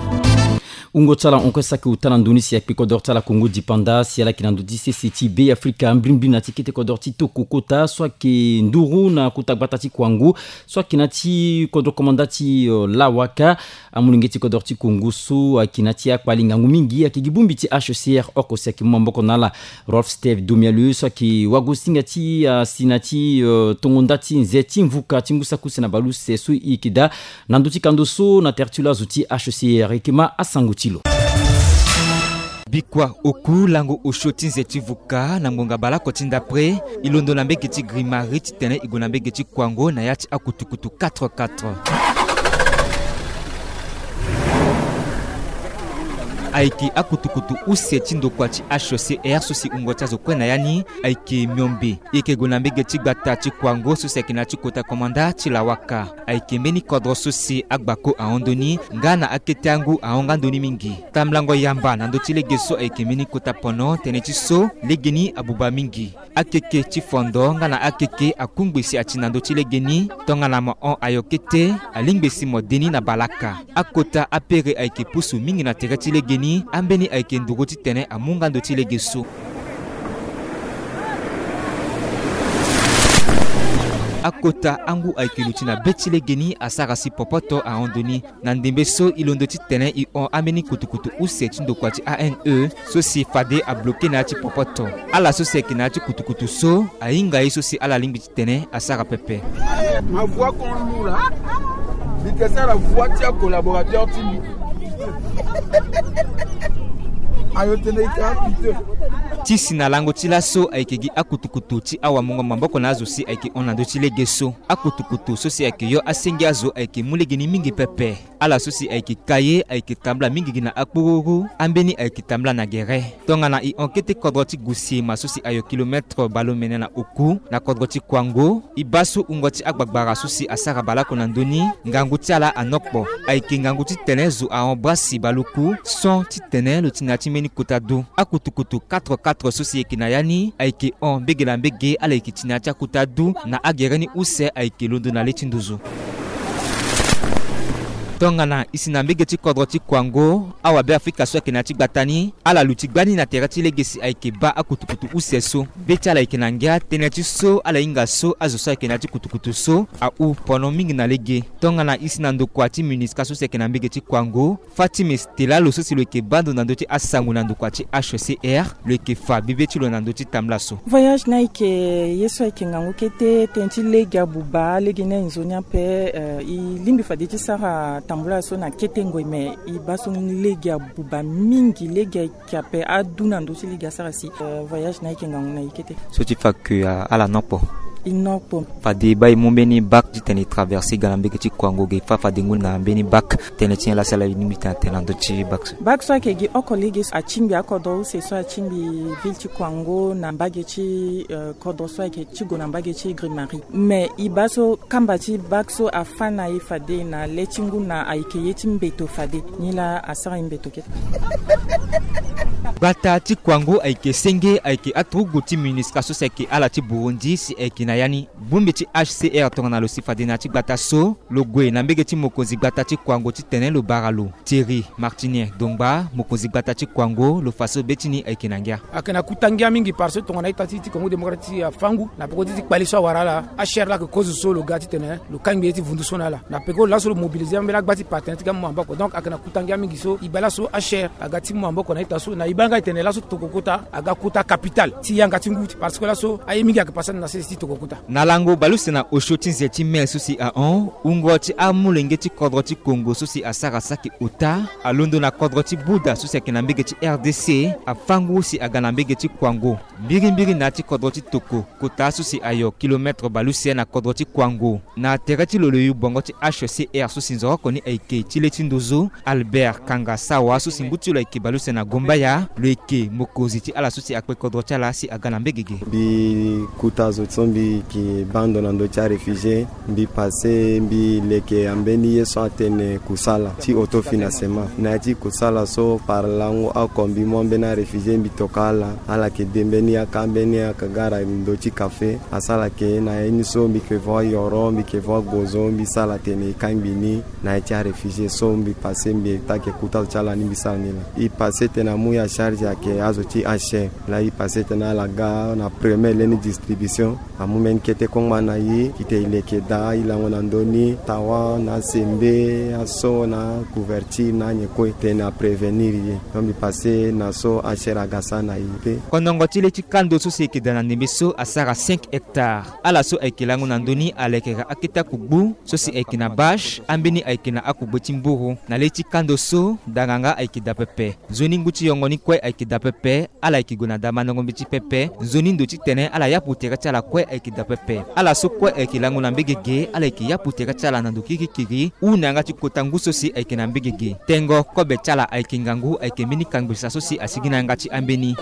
Wungo ti ala hon kue saki ota na ndö ni si akpe kodro ti ala Kongo dipanda si ala yeke na ndö ti sese ti Beafrika, mbrimbri na ti kete kodro ti toko kota so ayeke nduru na kota gbata ti Kouangou, so ayeke na ya ti kodro komanda ti, uh, Lawaka. Amolenge ti kodro ti Kongo so ayeke na ya ti akpali ngangu mingi ayeke gi bongbi ti H C R oko si ayeke mu maboko na ala. Rolf Steph Domialeux so ayeke wagosinga ti asi na ya ti, uh, tongo nda ti nze ti mvuka ti ngu saki use na bale use so e yeke daa na ndö ti kando so na tere ti lo azo ti H C R e yeke ma asango ti lo. Bikua oku lango osio ti nze ti vuka na ngbonga baleoko ti ndapre, e londo na mbege ti Grimari titene e gue na mbege ti Kouangou na ya ti akutukutu quatre quatre. Ayeke akutukutu use ti ndokua ti H C R so si wungo ti azo kue na ya ni ayeke miombe. E yeke gue na mbege ti gbata ti Kouangou so si ayeke na ya ti kota komanda ti Lawaka. Ayeke mbeni kodro so si agbako ahon ndoni nga na akete angu ahon nga ndoni mingi. Tambulango yamba na ndö ti lege so ayeke mbeni kota pono tënë ti so legeni abuba mingi. Akeke ti fondo nga na akeke akungbesi ati na ndö ti legeni. Tongana mo hon ayo kete, alingbi si mo de ni na balaka. Akota apere ayeke pusu mingi na tere ti legeni. Ambeni ayeke nduru titene amu nga ndö ti lege so. Akota angu ayeke luti na be ti legeni asara si popoto ahon ndoni. Na ndembe so e londo titene e hon ambeni kutukutu use ti ndokua ti A N E so si fade abloke na ya ti popoto. Ala so si ayeke na ya ti kutukutu so ahinga ye so si ala lingbi titene asara pepe. Ma voix qu'on loue là, mbi yeke sara voix ti acollaborateur ti mbi. Ayo tene e ka pite. Ti si na lango ti laso ayeke gi akutukutu ti awamungo maboko na azo si ayeke hon na ndö ti lege so. Akutukutu so si ayeke yo asenge azo ayeke mu legeni mingi pepe. Ala so si ayeke ka ye ayeke tambula mingi gi na akpururu, ambeni ayeke tambula na gere. Tongana e hon kete kodro ti Gusiema so si ayo kilometre baleomene na oku na kodro ti Kouangou, e baa so wungo ti agbagbara so si asara baleoko na ndö ni, ngangu ti ala anokpo. Ayeke ngangu titene zo ahon bra si baleoku, son titene lo ti na ya ti mbeni kota du. Akutukutu quatre quatre so si e yeke na ya ni ayeke hon mbege na mbege, ala yeke ti na ya ti akota du na agere ni use ayeke londo na le ti nduzu. Tongana e si na mbege ti kodro ti Kouangou, awabeafrika so ayeke na ya ti gbata ni, ala luti gbani na tere ti lege si ayeke baa akutukutu use so. Be ti ala yeke na ngia tënë ti so ala hinga so azo so ayeke na ya ti kutukutu so ahu pono mingi na lege. Tongana e si na ndokua ti MINUSCA so si ayeke na mbege ti Kouangou, Fatime Stella, lo so si lo yeke baa ndo na ndö ti asango na ndokua ti H C R, lo yeke fa bibe ti lo na ndö ti tambula so. Voyage ni ayeke ye so ayeke ngangu kete, tënë ti lege abuba, lege ni aye nzoni ape, eh, e lingbi fade ti sara tambula so na kete ngoi, me e baa so ni lege abuba mingi, lege ayeke ape adu na ndö ti lege asara si, eh, voyage ni ayeke ngangu na e kete. So ti fa ke, ah, ala nokpo. E no kpo. Fade e baa e mu mbeni bac titene e traverse e ga na mbege ti kuango ge, fa fade ngu na mbeni bac. Tënë ti nyen la si ala lingbi tene atene na ndö ti bac so? Bac so ayeke gi oko lege so atingbi akodro use so atingbi ville ti kuango na mbage ti, euh, kodro so ayeke ti gue na mbage ti Grimari. Mais e baa so kamba ti bac so afâ na e fade na le ti ngu na ayeke ye ti mbeto fade. Nilaa asara e mbeto kete. Gbata ti kuango ayeke senge, ayeke aturugu ti MINUSCA so si ayeke ala ti Burundi si ayeke na ya ni. Bongbi ti H C R tongana lo si fade na ya ti gbata so, lo gue na mbege ti mokonzi gbata ti kuango titene lo bara lo. Thierry Martinien Dongba, mokonzi gbata ti kuango, lo fa so be ti ni ayeke na ngia. Ayeke na kuta ngia mingi parce que tongana ita ti, ti Congo démocratique afâ ngu na peko ti, ti kpale so awara ala. H C R laa ayeke kozo so lo ga titene lo kangbi ye ti vundu so na ala. Na peko laso lo mobiliser ambeni agba ti partenaire ti ga mu maboko. Donc ayeke na kuta ngia mingi so e baa laso H C R aga ti mu maboko na ita so, na e baa nga e tene laso tokokota aga kota capitale ti yanga ti ngu ti, parce que laso aye mingi ayeke passé na sese ti tokokota. Na lango baleuse na osio ti nze ti mel so si ahon, wungo ti amolenge ti kodro ti Congo so si asara saki ota, alondo na kodro ti Bouddha so si ayeke na mbege ti R D C, afâ ngu si aga na mbege ti kuango. Mbirimbiri na ya ti kodro ti toko, kota so si ayo kilomètre baleuse na kodro ti kuango. Na tere ti lo lo yu bongo ti H C R so si nzoroko ni ayeke ti le ti ndozo, Albert Kanga Sawa so si ngu ti lo ayeke baleuse na Gombaya, lo yeke mokonzi ti ala so si akpe kodro ti ala si aga na mbege ge. Mbi kuta zo so mbi yeke baa ndo na ndö ti aréfugié, mbi passé mbi leke ambeni ye so atene kusala ti autofinancement. Na ya ti kusala so par lango oko mbi mu ambeni aréfugié mbi tokua ala, ala yeke de mbeni yaka, mbeni yaka ga ala ndö ti café. Asara ke na ye ni so mbi yeke voa yoro, mbi yeke voa gozo, mbi sara tene e kangbi ni na ya ti aréfugié so mbi passé mbi taa ke kuta zo ti ala ni mbi sara ni laa. E passé tene amu ya charge ayeke azo ti H C R. Laa e passé tene ala ga na premier leni distribution, amu mbeni kete kongba na e, titene e leke daa e lango na ndö ni, tawa na asembe, aso na couverture na anyen kue tene aprévenir e. Donc mbi passé na so H C R aga sara na e pe. Kondongo ti le ti kando so si e yeke daa na ndembe so asara cinq hectares. Ala so ayeke lango na ndö ni alekere akete akugbu so si ayeke na bâche, ambeni ayeke na akugbe ti mburu. Na le ti kando so, danganga ayeke daa pepe. Nzoni ngu ti yongo ni kue ayeke daa pepe. Ala yeke gue na daa mandango mbeti pepe. Nzoni ndo titene ala yapu tere ti ala kue ayeke daa pepe. Ala so kue ayeke lango na mbege ge, ala yeke yapu tere ti ala na ndo kirikiri. Hunda yanga ti kota ngu so si ayeke na mbege ge. Tengo kobe ti ala ayeke ngangu, ayeke mbeni kangbisa so si asigi na yanga ti ambeni.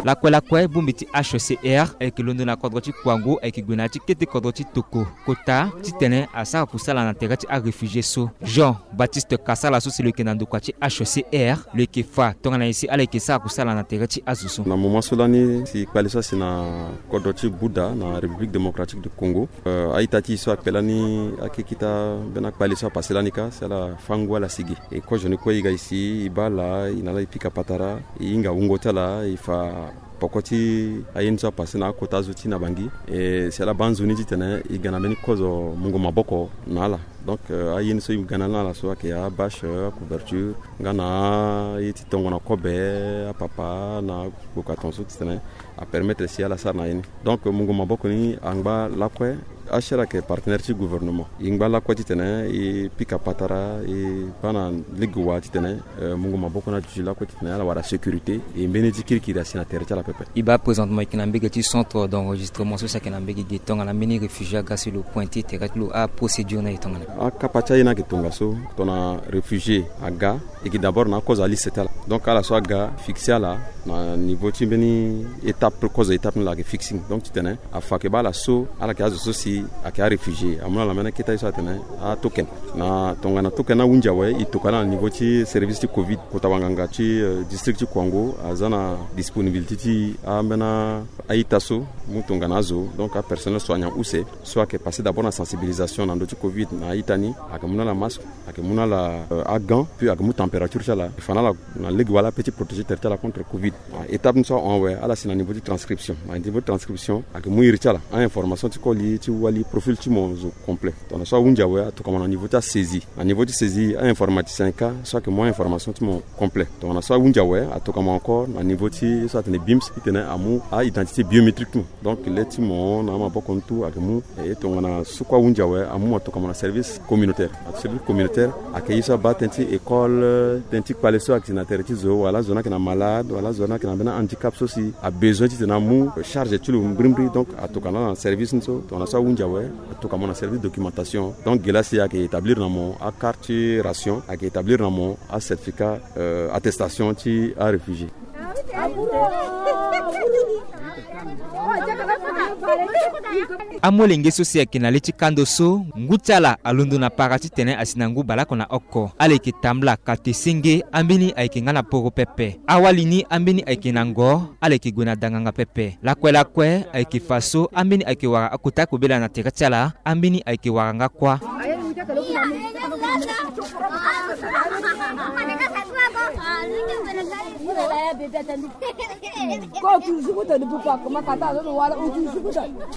Lakue lakue, bongbi ti H C R ayeke londo na kodro ti kuangu, ayeke gue na ya ti kete kodro ti toko kota titene asara kusala na tere ti aréfugié so. Jean Baptiste Kasala so si lo yeke na ndokua ti H C R, lo yeke fa tongana nyen si ala yeke sara kusala na tere ti azo so. Na moment so lani si kpale so asi na kodro ti Bouddha na République Démocratique du Congo, euh, a-ita ti e so akpe lani ake kita mbeni akpale so apase lani ka si ala fâ ngu ala si ge. E kozo ni kue e ga e si, e baa ala, e na ala e pika patara, e hinga wungo ti ala, e fa poko ti aye ni so apase na akota azo ti na Bangui. E si ala baa nzoni titene e ga na mbeni kozo mungo maboko na ala. Donc, euh, aye ni so e ga na ala so ayeke abâche, acouverture, nga na aye ti tongana kobe, apapa na gboko atongaso titene apermettre si ala sara na ye ni. Donc mungo maboko ni angba lakue. H C R ayeke partenaire ti gouvernement. E ngba lakue titene e pika patara, e baa na lege wa titene, euh, mungo maboko ni aduti lakue titene ala wara sécurité. E mbeni ti kirikiri asi na tere ti ala pepe. E baa présentement e yeke na mbege ti centre d'enregistrement so si ayeke na mbege ge, tongana mbeni réfugié aga si lo pointé tere ti lo, aprocédure ni ayeke tongana? Akapa ti aye ni ayeke tongaso, tongana réfugié aga, e yeke d'abord na akozo aliste ti ala. Donc ala so aga fixé ala na niveau ti mbeni étape, kozo étape ni la ayeke fixing. Donc titene afa ayeke baa ala so ala yeke azo so si ayeke aréfugié, amu na ala mbeni aketa ye so atene atoken. Na tongana token ahunzi awe, e toka ala na niveau ti service ti covid. Kota wanganga ti, euh, district ti Kouango aza na disponibilité ti ambeni a-ita so mu tongana azo, donc apersonnel soignant use so ayeke passé d'abord na sensibilisation na ndö ti covid na a-ita ni, ayeke mu na ala masque, ayeke mu na ala, euh, agant, puis ayeke mu température ti ala, e fa na ala na lege wa la ape ti protéger tere ti ala contre covid. Na étape ni so ahon awe, ala si na niveau ti transcription. Na niveau ti transcription ayeke mu iri ti ala, a-information ti koli ti wu Wali profil ti mo zo complet. Tongana so ahunzi awe, atokua mo na niveau ti asaisie. Na niveau ti saisie, a-informaticien ka so ayeke mu a-information ti mo complet. Tongana so ahunzi awe, atokua mo encore na niveau ti so atene bims, titene amu a-identité biométrique ti mo. Donc le ti mo na amaboko ni tout ayeke mu. E tongana so kue ahunzi awe, amu mo atokua mo na service communautaire. Na service communautaire ayeke ye so abaa tënë ti école, tënë ti kpale so ayeke si na tere ti zo, wala zo ni ayeke na malade, wala zo ni ayeke na mbeni handicap so si abesoin titene amu charge ti lo mbirimbiri. Donc atokua na ala na service ni so. Tongana so ahunzi awe, atokua mo na service documentation. Donc ge laa si ayeke établir na mo acarte ti ration, ayeke établir na mo acertificat, euh, attestation ti aréfugié. Amolenge so si ayeke na le ti kando so, ngu ti ala alondo na para titene asi na ngu baleoko na oko. Ala yeke tambula kate senge ambeni ayeke nga na poro pepe. Awali ni ambeni ayeke na ngo, ala yeke gue na danganga pepe. Lakue lakue ayeke fa so ambeni ayeke wara akota akobela na tere ti ala, ambeni ayeke wara nga kuâ.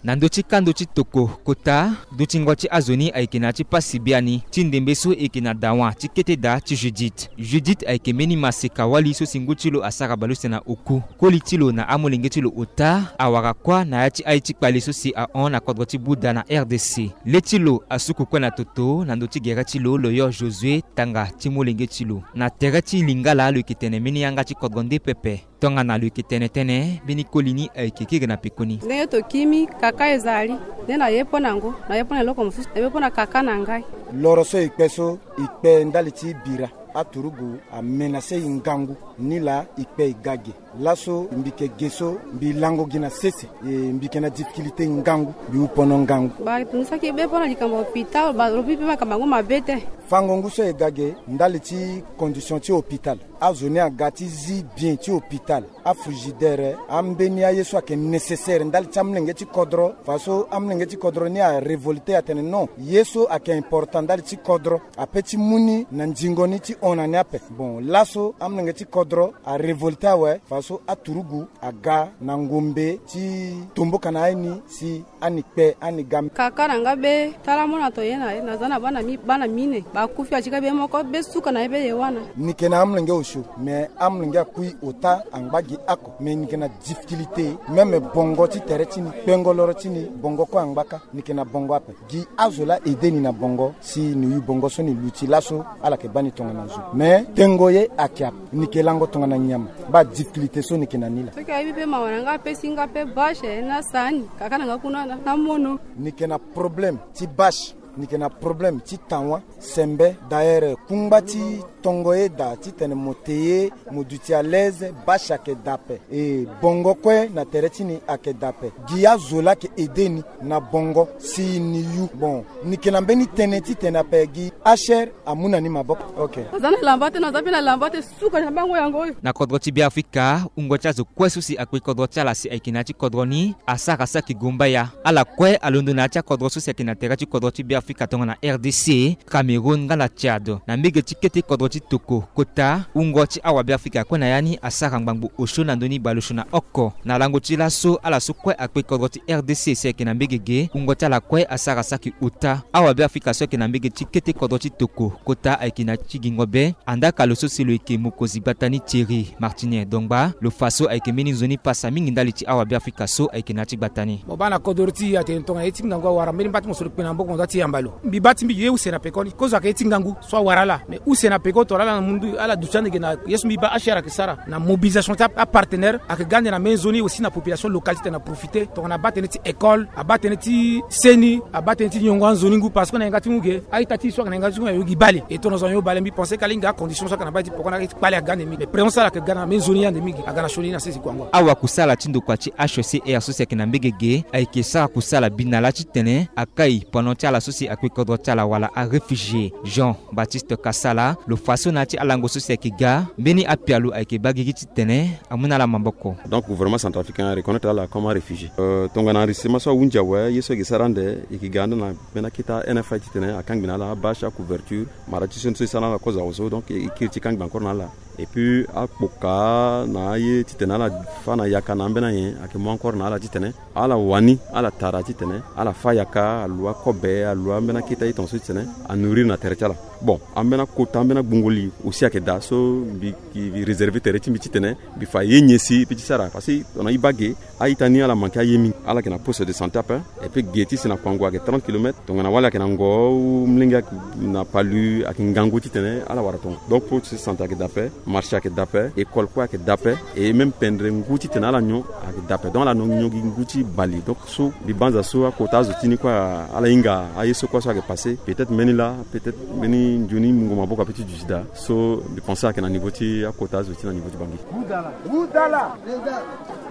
Na ndö ti kando ti toko kota, dutingo ti azo ni ayeke na ya ti pasi biani ti ndembe so e yeke na dawa ti kete daa ti Judith. Judith ayeke mbeni maseka wali so si ngu ti lo asara baleuse na oku. Koli ti lo na amolenge ti lo ota awara kuâ na ya ti aye ti kpale so si ahon na kodro ti Bouddha na R D C. Le ti lo asuku kue na toto na ndö ti gere ti lo, lo yo Josué, tanga ti molenge ti lo. Na tere ti Lingala lo yeke tene mbeni yanga ti kodro nde pepe. Tongana lo yeke tene tënë, mbeni koli ni ayeke kiri na pekoni. Ndenge tokimi, kaka ezali. Nde na ye mpo na yango, na ye mpo na eloko mosusu, na ye mpo na kaka na ngai. Loro so e kpe so, e kpe ndali ti bira. Aturugu amenase e ngangu. Nilaa e kpe e ga ge. Laso mbi yeke ge so mbi lango gi na sese. E mbi yeke na difficulté ngangu, mbi hu pono ngangu. Ba tongusaki be mpo na likambo hôpital, ba lobi mpe makambo yango mabe te. Fango ngu so e ga ge ndali ti condition ti hôpital. Azo ni aga ti zi bien ti hôpital. Afrigidaire, ambeni aye so ayeke nécessaire ndali ti amolenge ti kodro. Fa so amolenge ti kodro ni arévolté atene non, ye so ayeke important ndali ti kodro, ape ti mu ni na nzingo ni ti hon na ni ape. Bon, laso amolenge ti kodro arévolté awe, fa so aturugu aga na ngombe ti tomboka na aye ni si ani kpe, ani ga. Kaka na nga be, tala mo na to ye na ye, na za na bana mi, bana mine. Bakufi atika be moko, be suka na ye be ye wana. Ni yeke na amolenge osio, me amolenge akui ota angba gi oko. Me ni yeke na difficulté, même bongo ti tere ti ni, kpengo loro ti ni, bongo kue angba kâ, ni yeke na bongo ape. Gi azo laa aidé ni na bongo, si ni yu bongo so ni luti laso, ala yeke baa ni tongana zo. Me tengo ye ayeke ape, ni yeke lango tongana nyama. Baa difficulté so ni yeke na ni laa. Soki ayebi mpe mawa na nga, apesi nga mpe bâche na sani, kaka na nga kuna na, na mono. Ni yeke na problème ti bâche, ni yeke na problème ti tawa, sembe. D'ailleurs, kungba ti tongo ye daa titene mo te ye, mo duti à l'aise, bâche ayeke daa ape. E bongo kue na tere ti ni ayeke daa ape. Gi azo laa ayeke aidé ni na bongo si ni yu. Bon, ni yeke na mbeni tënë titene ape gi H R amu na ni maboko. Ok. Aza na lamba te, na aza mpe na lamba te, suka na bango yango oyo. Na kodro ti Beafrika, wungo ti azo kue so si akpe kodro ti ala si ayeke na ya ti kodro ni, asara saki gumbaya. Ala kue alondo na ya ti akodro so si ayeke na tere ti kodro ti Beafrika tongana R D C, Cameroun nga na Tchad. Na mbege ti kete kodro ti toko kota, wungo ti awabeafrika kue na ya ni asara ngbangbo osio na ndö ni baleosio na oko. Na lango ti laso, ala so kue akpe kodro ti R D C si ayeke na mbege ge, wungo ti ala kue asara saki ota. Awabeafrika so ayeke na mbege ti kete kodro ti toko kota ayeke na ti gingo be. Andaa ka lo so si lo yeke mokonzi gbata ni Thierry Martinier Dongba, lo fa so ayeke mbeni nzoni pasa mingi ndali ti awabeafrika so ayeke na ya ti gbata ni. Mo baa na kodro ti e atene tongana ye ti ngangu awara mbeni mba ti mo so lo kpe na maboko mo za ti yamba lo. Mbi baa ti mbi ye use na pekoni. Kozo ayeke ye ti ngangu so awara ala. Mais use na peko tongana ala na mundu ala duti ande ge na ye so mbi baa H R ayeke sara na mobilisation ti a, apartenaire ayeke ga ande na mbeni nzoni aussi na population locale titene aprofite tongana abaa tënë ti école, abaa tënë ti seni, abaa tënë ti nyongo anzoni ngu parce que na yanga ti ngu ge a-ita ti e so ayeke na yanga ti ngu ayo gi bale. E tongana zo ayo bale mbi pense ka lingbi acondition so ayeke na baa ti poko na kpale aga ande mingi. Mais présence ala ayeke ga na mbeni nzoni ande mingi aga na sioni na sese kuango. Awakusala ti ndokua ti H C R so si ayeke na mbege ge ayeke sara kusala bi na laa titene akai pendant ti ala so si akpe kodro ti ala wala aréfugié. Jean Baptiste Kasala, lo fa so na ya ti alango so si ayeke ga, mbeni apialo ayeke baa gigi titene amu na ala maboko. Donc gouvernement centrafricain areconnaître ala comme aréfugié. Euh, tongana enregistrement so ahunzi awe, ye so ayeke sara ande e yeke ga ande na mbeni akete NFI titene akangbi na ala abâche, acouverture, mara ti sioni so e sara na ala kozo awe so, donc e kiri ti kangbi encore na ala. Et puis akpoka na aye titene ala fa na yaka na ambeni anyen ayeke mu encore na ala titene ala wani ala tara titene ala fa yaka, alu akobe, alu ambeni akete aye tongaso titene anourrir na tere ti ala. Bon, ambeni akota ambeni agbungo li aussi ayeke daa so mbi, mbi réserver tere ti mbi titene mbi fa ye nyen si mbi ti sara. Parce que tongana e baa ge a-ita ni ala manke aye mingi. Ala yeke na poste de santé ape. Et puis ge ti si na Kouangou ayeke trente kilomètres. Tongana wali ayeke na Ngo, ou molenge ayeke na Palu, ayeke ngangu titene ala wara tongaso. Donc poste de santé ayeke daa ape, marché ayeke daa ape, école kue ayeke daa ape. Et même pendere ngu titene ala nyon ayeke daa ape. Donc ala nyon gi ngu ti bale. Donc so mbi banza so akota azo ti ni kue ala hinga aye so kue so ayeke passé. Peut-être mbeni laa, peut-être mbeni nzoni mungo maboko ape ti duti daa. So mbi pense ayeke na niveau ti akota azo ti na niveau ti Bangui. Wudala, wudala,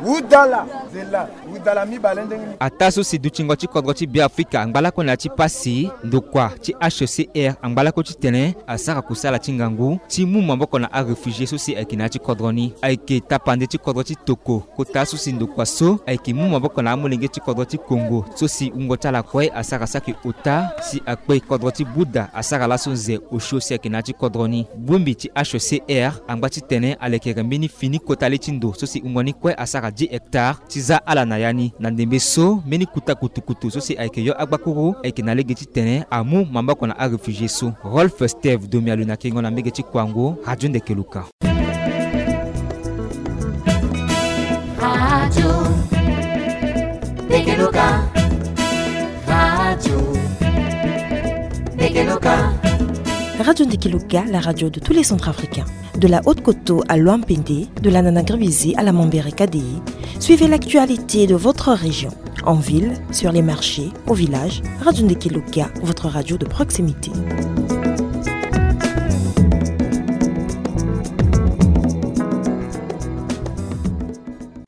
wudala, zela, wudala mibale ndenge ni. Ataa so si dutingo ti kodro ti Beafrika angba lakue na ya ti pasi, ndokua ti H C R angba lakue titene asara kusala ti ngangu ti mu maboko na aréfugié so si ayeke na ya ti kodro ni. Ayeke tapande ti kodro ti toko kota so si ndokua so ayeke mu maboko na amolenge ti kodro ti Congo so si wungo ti ala kue asara saki ota si akpe kodro ti Buda asara laso nze osio si ayeke na ya ti kodro ni. Bongbi ti H C R angba titene alekere mbeni fini kota le ti ndo so si wungo ni kue asara dix hectares ti za ala na ya ni. Na ndembe so mbeni kuta kutukutu so si ayeke yo agbakuru ayeke na lege titene amu maboko na aréfugié so. Rolf Steve Domialo na kengo na mbege ti Kouangou, Radio Ndeke Luka. Radio Ndeke Luka. Radio Ndeke Luka. Radio Ndeke Luka, la radio de tous les Centrafricains. De la Haute-Koto à Loampende, de la Nanagribizé à la Mambere K D I, suivez l'actualité de votre région. En ville, sur les marchés, au village, Radio Ndeke Luka, votre radio de proximité.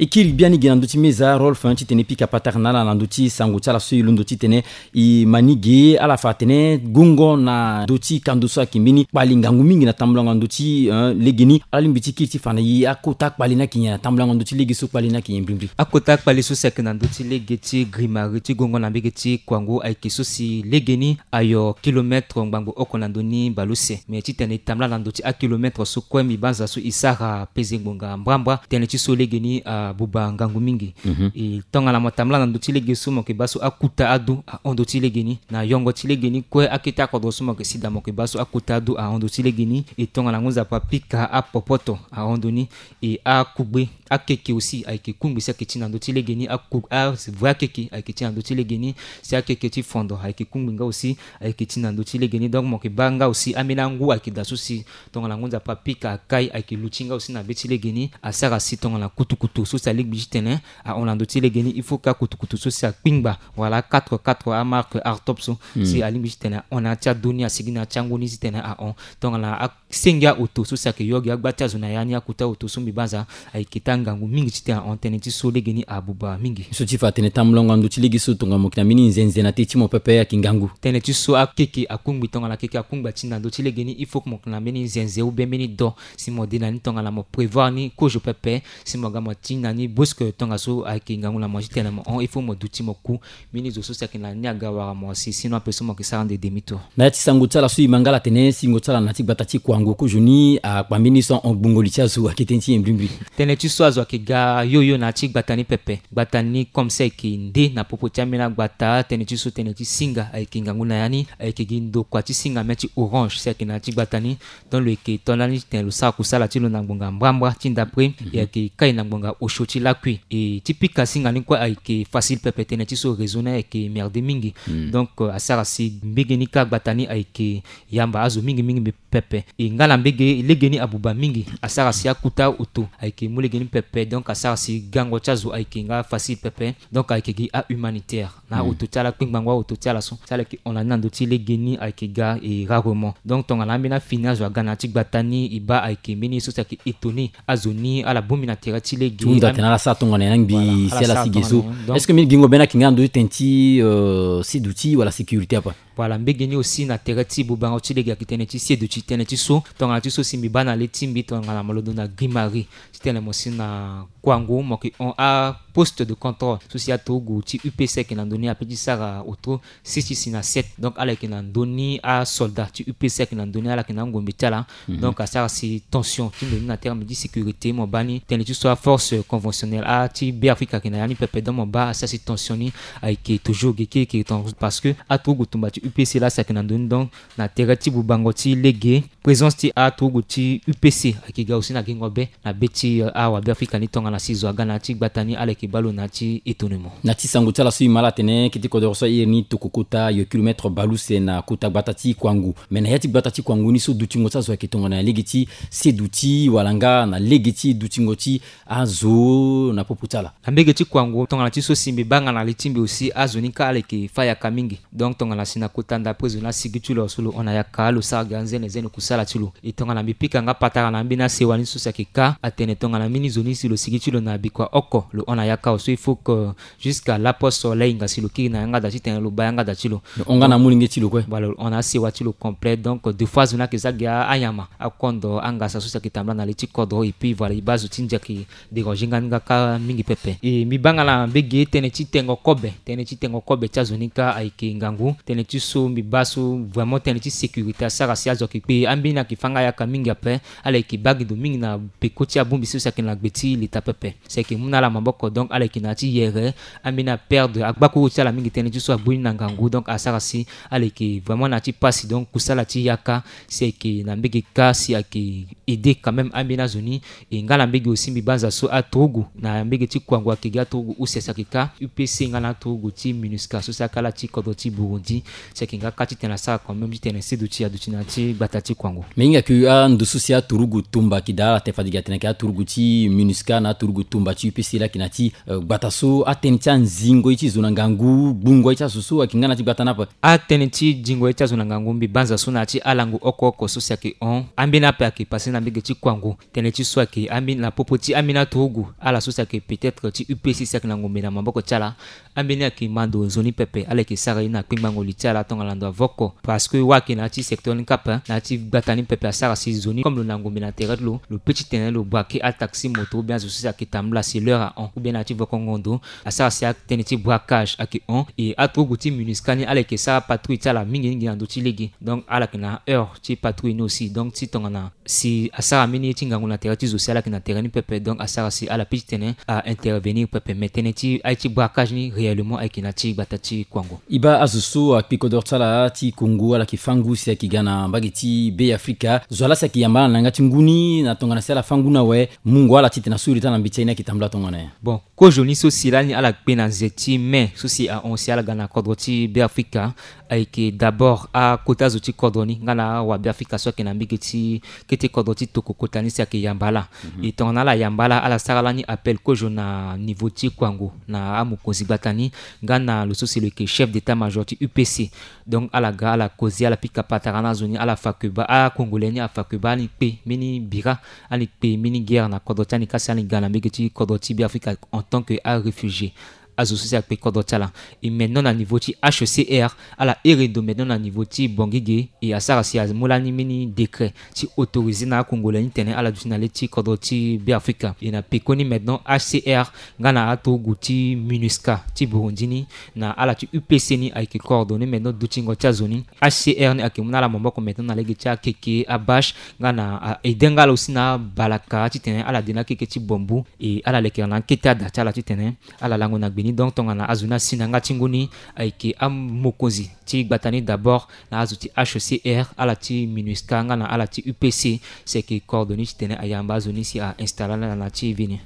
E kiri biani ge na ndö ti meza Rolf, hein, titene e pika patara na ala na ndö ti sango ti ala so e londo titene e ma ni ge. Ala fa atene gongo na ndö ti kando so ayeke mbeni kpali ngangu mingi na tambulango na ndö ti, hein, lege ni. Ala lingbi ti kiri ti fa na e akota kpali ni ayeke nyen na tambulango na ndö ti lege so kpali ni ayeke nyen mbrimbri. Akota kpali so si ayeke na ndö ti lege ti grimari ti gongo na mbege ti Kouangou ayeke so si lege ni ayo kilomètre ngbangbo oko na ndö ni baleuse. Me titene e tambula na ndö ti akilometre so kue mbi banza so e sara peze ngbonga mbrambra. Tënë ti so lege ni abuba ngangu mingi. Mhm. E tongana mo tambula na ndö ti lege so mo yeke baa so akuta adu ahon ndö ti lege ni. Na yongo ti lege ni kue akete akodro so mo yeke si daa mo yeke baa so akuta adu ahon ndö ti lege ni. E tongana ngu nzapa apika apopoto ahon ndö ni. E akugbe akeke aussi ayeke kungbi si ayeke ti na ndö ti lege ni. Aku avre akeke ayeke ti na ndö ti lege ni. Si akeke ti fondo ayeke kungbi nga aussi ayeke ti na ndö ti lege ni. Donc mo yeke baa nga aussi ambeni angu ayeke daa so si tongana ngu nzapa apika akai ayeke luti nga aussi na be ti lege ni. Asara si tongana kutukutu so si alingbi titene ahon na ndö ti lege ni, il faut que akutukutu so si akpingba wala quatre quatre amarque Artop so, hmm, si alingbi titene ahon na ya ti adu ni, asigi na ya ti angu ni titene ahon. Tongana a senge aoto so si ayeke yo gi agba ti azo na ya ni, akuta aoto so mbi banza ayeke taa ngangu mingi titene ahon. Tënë ti so lege ni abuba mingi. So ti fa atene tambulango na ndö ti lege so tongana mo yeke na mbeni nzenze na te ti mo pepe ayeke ngangu. Tënë ti so akeke akungbi, tongana akeke akungbi ati na ndö ti lege ni, il faut que mo yeke na mbeni nzenze ou bien mbeni do si mo de na ni. Tongana mo prévoir ni kozo pepe si mo ga mo ti na ni brusque, tongaso ayeke ngangu na mo titene mo hon, il faut mo duti mo ku mbeni zo so si ayeke na ni aga wara mo si, sinon ape so mo yeke sara ande demi tour. Na ya ti sango ti ala so e ma nga ala tene singo ti ala na ya ti gbata ti Kouangou kozoni akpa mbeni so ahon gbungo li ti azo ayeke tënë ti nyen mbrimbri? Tënë ti so azo ayeke ga yoyo na ya ti gbata ni pepe. Gbata ni comme si ayeke nde na popo ti ambeni agbata. Tënë ti so tënë ti singa ayeke ngangu na ya ni. Ayeke gi ndokua ti singa mê ti orange si ayeke na ya ti gbata ni. Donc lo yeke to lani titene lo sara kusala ti lo na ngbonga mbrambra ti ndapre. Mhm. E ayeke kai na ngbonga osio ti lakui. E ti pika singa ni kue ayeke facile pepe, tënë ti so réseau ni ayeke merde mingi. Mm. Donc, euh, asara si mbege ni kâ agbata ni ayeke yamba azo mingi mingi pepe. E nga na mbege lege ni abuba mingi, asara si akuta oto ayeke mu lege ni pepe. Donc asara si gango ti azo ayeke nga facile pepe. Donc ayeke gi ahumanitaire na, hmm, oto ti ala, kpingbango aoto ti ala so si ala yeke hon na ni na ndö ti lege ni ayeke ga e rarement. Donc tongana ambeni afini azo aga na ya ti gbata ni, e baa ayeke mbeni ye so si ayeke étonné azo ni, ala bongbi na tere ti lege. Ti hunda tene ala sara tongana nyen na ngbi si ala si ge so. Est-ce que mbeni gingo bene ayeke nga na ndö ti tene ti, euh, seduti wala sécurité ape? Voilà, mbege ni aussi na tere ti bubango ti lege ayeke tënë ti seduti tënë ti so. Tongana ti so si mbi baa na le ti mbi tongana malondo na Guy Marie ti tene mo si na Kouangou, mo yeke hon aposte de contrôle so si aturugu ti U P C ayeke na ndö ni ape ti sara otro six ti si na sept. Donc ala yeke na ndö ni asoldat ti U P C ayeke na ndö ni, ala yeke na angombe ti ala. Donc asara si tension ti ndo ni na terme ti sécurité. Mo baa ni tënë ti so aforce conventionnelle a ti Beafrika ayeke na ya ni pepe. Donc mo baa asara si tension ni ayeke toujours ge kirikiri ton, parce que aturugu tumba ti U P C laa si ayeke na ndö ni. Donc na tere ti bubango ti lege, présence ti aturugu ti U P C ayeke ga aussi na gingo be na be ti, euh, awabeafrika ni tongana si zo aga na ya ti gbata ni, ala yeke baa lo na ya ti étonnement. Na ti sango ti ala so e ma ala atene kete kodoro so airi ni tokokota yo kilomètre baleuse na kota gbata ti Kouangou. Mais na ya ti gbata ti Kouangou ni so dutingo ti azo ayeke tongana ya lege ti seduti wala nga na lege ti dutingo ti azo na popo ti ala. Na mbege ti Kouangou tongana ti so si mbi baa nga na li ti mbi aussi, azo ni kâ ala yeke fâ yaka mingi. Donc tongana si na kota ndapre zo ni asigi ti lo so lo hon na yaka, lo sara ga anzene zene kusala ti lo. E tongana mbi pika nga patara na ambeni asewa ni so si ayeke kâ, atene tongana mbeni zo ni si lo sigi ti lo na bikua oko lo hon na yaka, so il faut que jusqu'à lapo so lahinga si lo kiri na yanga da titene lo baa yanga da ti lo. Lo hon nga na molenge ti lo kue. Voilà, lo hon na asewa ti lo complet. Donc deux fois zo ni ayeke za gi anyama, akondo, angasa so si ayeke tambula na li ti kodro. Et puis voilà, e baa zo ti ndia ayeke déranger nga ni nga kâ mingi pepe. E mbi baa nga na mbege tënë ti tengo kobe, tënë ti tengo kobe ti azo ni kâ ayeke ngangu. Tënë ti so mbi baa so vraiment tënë ti sécurité asara si azo ayeke kpe, ambeni ayeke fâ nga yaka mingi ape. Ala yeke baa gi ndo mingi na peko ti abongbi so si ayeke na gbe ti leta pepe. Si ayeke mu na ala maboko, donc ala yeke na ya ti yere. Ambeni aperdre agbakuru ti ala mingi tënë ti so agbu ni na ngangu. Donc asara si ala yeke vraiment na ya ti pasi. Donc kusala ti yaka si ayeke na mbege kâ si ayeke aider quand même ambeni azo ni. E nga na mbege aussi mbi banza so aturugu na mbege ti Kouangou ayeke gi aturugu use si ayeke kâ U P C nga na aturugu ti MINUSCA so si akala ti kodro ti Burundi. Si ayeke nga kâ titene asara quand même titene seduti aduti na ya ti gbata ti Kouangou. Mais hinga ke ando so si aturugu tumba ayeke daa ala te fade gi atene ayeke aturugu ti MINUSCA na aturugu tumba ti U P C laa ayeke na ya ti, euh, gbata so, atënë ti anzingo ye ti zo na ngangu, gbungo ye ti azo so ayeke nga na ya ti gbata ni ape. Atënë ti zingo ye ti azo na ngangu mbi banza so na ya ti alango oko oko so si ayeke hon. Ambeni ape ayeke passé na mbege ti Kouangou. Tënë ti so ayeke ambeni na popo ti ambeni aturugu ala so si ayeke peut-être ti U P C si ayeke na ngombe na maboko ti ala. Ambeni ayeke ma ndo nzoni pepe, ala yeke sara ye na kpengbango li ti ala tongana ndo avoko. Parce que wâ ayeke na ya ti secteur ni kapa, na ya ti gbata ni pepe asara si nzoni comme lo na ngombe na tere ti lo, lo peut titene lo braquer ataxi moto ou bien azo so si ayeke tambula si l'heure ahon, ou bien na ya ti vokongo ndo. Asara si atënë ti braquage ayeke hon. E aturugu ti MINUSCA ni ala yeke sara patrouille ti ala mingi mingi na ndö ti lege. Donc ala yeke na heure ti patrouille ni aussi. Donc ti tongana si asara mbeni ye ti ngangu na tere ti zo si ala yeke na tere ni pepe, donc asara si ala peut titene a intervenir pepe. Mais tënë ti aye ti braquage ni réellement ayeke na ya ti gbata ti Kouangou. E baa azo so akpe kodoro ti ala ti Kongo ala yeke fâ ngu si ayeke ga na mbage ti Beafrika. Zo wa laa si ayeke yamba ala na yanga ti ngu ni na tongana si ala fâ ngu ni awe, mungo ala titene asuri taa na mbi ti aye ni ayeke tambula tongana nyen? Bon, kozo ni so si lani ala kpe na nze ti mai so si ahon si ala ga na kodro ti Beafrika. Ayeke d'abord akota zo ti kodro ni nga na awabeafrika so ayeke na mbage ti kete kodro ti tokokota ni si ayeke yamba ala. E tongana ala yamba ala, ala sara lani appel kozo na niveau ti Kouangou na amokonzi gbata ni nga na lo so si lo yeke chef d'état-major ti U P C. Donc ala ga ala koze, ala pika patara na azo ni, ala fa keba, a-Congolais ni afa keba, ani kpe mbeni bira, ani kpe mbeni guerre na kodro ti ani ka si ani ga na mbage ti kodro ti Beafrika en tant que aréfugié. Azo so si akpe kodro ti ala. E maintenant na niveau ti H C R, ala here ndo maintenant na niveau ti Bangui ge, e asara si amu lani mbeni décret ti autoriser na a-Congolais ni tene ala duti na le ti kodro ti Beafrika. E na pekoni maintenant H C R nga na aturugu ti MINUSCA ti Burundi ni na ala ti U P C ni ayeke coordonner maintenant dutingo ti azo ni. H C R ni ayeke mu na ala maboko maintenant na lege ti akeke, abâche, nga na a-, aider nga ala aussi na abalaka titene ala de na akeke ti bambu. E ala lekere na akete ada ti ala titene ala lango na gbe ni. Donc tongana azo ni asi na yanga ti ngu ni, ayeke amokonzi ti gbata ni d'abord na azo ti H C R, ala ti MINUSCA nga na ala ti U P C si ayeke coordonner titene ayamba azo ni si a-installer ala na ya ti vie ni.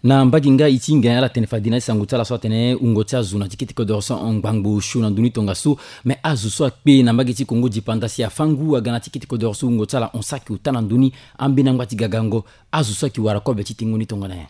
Na mbage nga e ti hinga nyen ala tene fade na ti sango ti ala so atene wungo ti azo na ti kete kodoro so ngbangbo osio na ndö ni tongaso. Mais azo so akpe na mbage ti Kongo dipanda si afâ ngu aga na ti kete kodoro so wungo ti ala hon saki ota na ndö ni, ambeni angba ti gagango, azo so ayeke wara kobe ti tengo ni tongana nyen?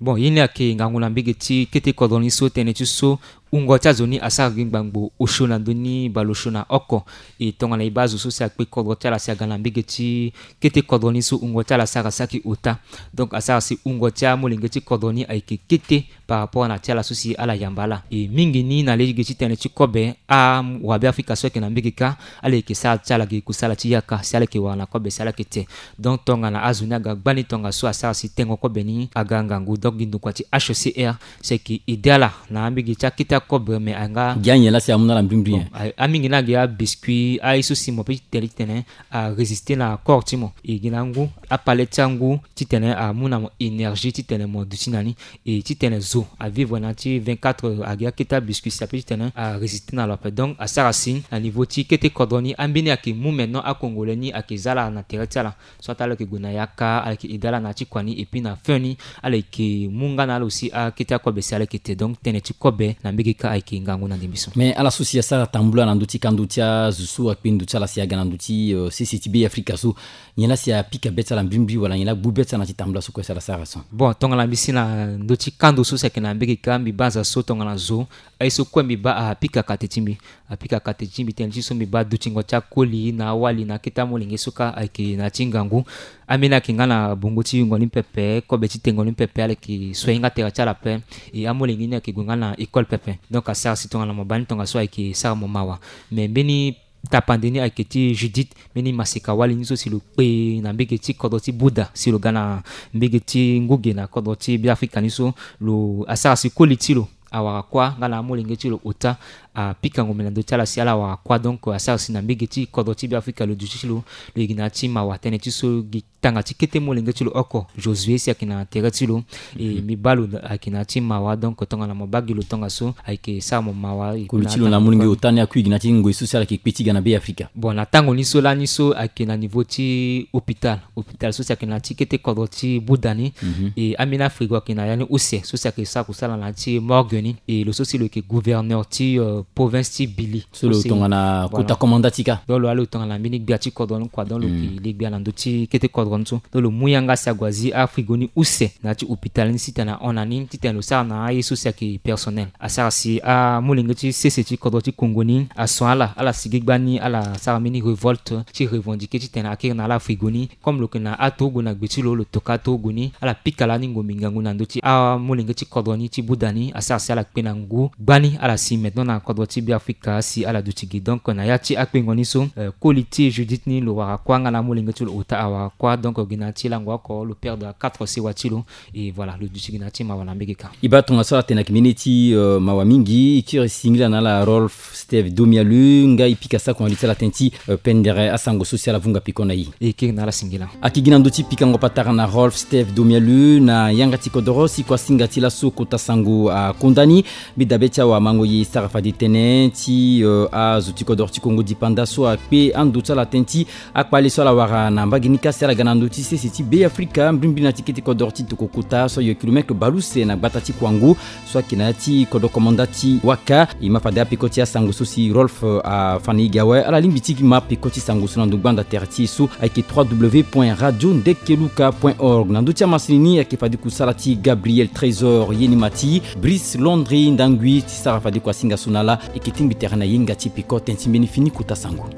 Bon, ye ni ayeke ngangu na mbage ti kete kodro ni so, tënë ti so wungo ti azo ni asara gi ngbangbo osio na ndö ni baleosio na oko. E tongana e baa azo so si akpe kodro ti ala si aga na mbege ti kete kodro ni so wungo ti ala asara saki ota. Donc asara si wungo ti amolenge ti kodro ni ayeke kete par rapport na ti ala so si ala yamba ala. E mingi ni na lege titene ti kobe awabeafrika so ayeke na mbege kâ, ala yeke sara ti ala gi kusala ti yaka si ala yeke wara na kobe si ala yeke te. Donc tongana azo ni aga gbani tongaso asara si tengo kobe ni aga ngangu. Donc gi ndokua ti H C R si ayeke aidé ala na ambege ti akete akobe me anga gi anyen laa si amu na ala mbrimbri. Bon, a- amingi ni agi abiscuit aye so si mo peut ti tene titene arésister na corps ti mo. E gi na ngu apale ti angu titene amu na mo énergie titene mo duti na ni. E titene zo avivre na ya ti vingt-quatre heures agi akete abiscuit si apeut titene arésister na lo ape. Donc asara si na niveau ti kete kodro ni ambeni ayeke mu maintenant acongolais ni ayeke za ala na tere ti ala. So atâ ala yeke gue na yaka, ala yeke aidé ala na ya ti kua ni, et puis na fin ni ala yeke mu nga na ala aussi akete akobe si ala yeke te. Donc tënë ti kobe na mbege kâ ayeke ngangu na ndembe so. Mais ala so si asara tambula na ndö ti kando ti azo so akpe ndo ti ala si aga na ndö ti, euh, sese ti Be Afrika so, nyen laa si apika be ti ala mbrimbri wala nyen laa agbu be ti ala na ya ti tambula so kue si ala sara so? Bon, tongana mbi si na ndö ti kando so si ayeke na mbege kâ, mbi baa aza so tongana zo, aye so kue mbi baa apika kate ti mbi. Apika kate ti mbi tënë ti so mbi baa dutingo ti akoli na awali na akete amolenge so kâ ayeke na ya ti ngangu. Ambeni ayeke nga na bongo ti yungo ni pepe, kobe ti tengo ni pepe, ala yeke soigner nga tere ti ala ape. E amolenge ni ayeke gue nga na école pepe. Donc asara si tongana mo baa ni tongaso ayeke sara mo mawa. Mais mbeni tapande ni ayeke ti Judith, mbeni maseka wali ni so si lo kpe na mbege ti kodro ti Bouddha, si lo ga na mbege ti nguge na kodro ti Be Afrika ni so, lo asara si koli ti lo awara kuâ nga na amolenge ti lo ota, apika ngombe na ndö ti ala si ala wara kuâ. Donc asara si na mbege ti kodro ti Be Afrika lo duti ti lo, lo yeke na ya ti mawa. Tënë ti so gi tanga ti kete molenge ti lo oko, Josué, si ayeke na tere ti lo. E mbi baa lo ayeke na ya ti mawa. Donc tongana mo baa gi lo tongaso ayeke sara mo mawa. Koli ti lo na amolenge ota ni akui gi na ya ti ngoi so si ala yeke kpe ti ga na Be Afrika. Bon, na tango ni so lani so ayeke na niveau ti hôpital, hôpital so si ayeke na ya ti kete kodro ti Bouddha ni. Mhm. E ambeni afrigo ayeke na ya ni use so si ayeke sara kusala na ya ti morgue ni. E lo so si lo yeke gouverneur ti, euh, province ti Bili. So lo tongana kota komanda ti kâ. Donc lo alo tongana mbeni gbia ti kodro ni kua. Donc lo yeke le gbia na ndö ti kete kodro ni so. Donc lo mu yanga si ague azi afrigo ni use na ya ti hôpital ni si tene ahon na ni titene lo sara na aye so si ayeke personnel. Asara si amolenge ti sese ti kodro ti Kongo ni ason ala, ala sigi gbani, ala sara mbeni révolte ti revendiquer titene akiri na ala afrigo ni. Comme lo yeke na aturugu na gbe ti lo, lo toka aturugu ni, ala pika lani ngombe ngangu na ndö ti amolenge ti kodro ni ti Bouddha ni. Asara si ala kpe na ngu gbani, ala si maintenant na kodro ti Be Afrika si ala duti gi. Donc na ya ti akpengo ni so, euh, koli ti Judith ni lo wara kuâ nga na amolenge ti lo ota awara kuâ. Donc gi na ya ti lango oko lo perdre quatre sewa ti lo. Et voilà, lo duti gi na ya ti mawa na mbege kâ. E baa tongaso ala tene ayeke mbeni ti, euh, mawa mingi. E kiri singila na ala Rolf Steve Domialu, nga e pika sakongo li ti ala tënë ti, euh, pendere asango so si ala vunga peko na e. E kiri na ala singila. Ayeke gi na ndö ti pikango patara na Rolf Steve Domialu na yanga ti kodoro si kua singa ti laso kota sango akonda ni. Mbi dabe ti awamango ye e sara fade tënë ti, euh, azo ti kodoro ti Kongo dipanda so akpe ando ti ala tënë ti akpale so ala wara na mbage ni kâ si ala ga na ndö ti sese ti Be Afrika, mbrimbri na ti kete kodoro ti toko kota so ayo kilomètre baleuse na gbata ti Kouangou, so ayeke na ya ti kodro komanda ti Waka. E ma fade apeko ti asango so si Rolf, euh, afa na e ge awe. Ala lingbi ti ma peko ti sango so na ndo gbanda tere ti e so ayeke trois W point radio ndekeluka point org. Na ndö ti amasini ni ayeke fade kusala ti Gabriel Trésor, ye ni ma ti Brice Londry Ndangui ti sara fade kua singa so na ala. E yeke tingbi tere na yenga ti peko tënë ti mbeni fini kota sango.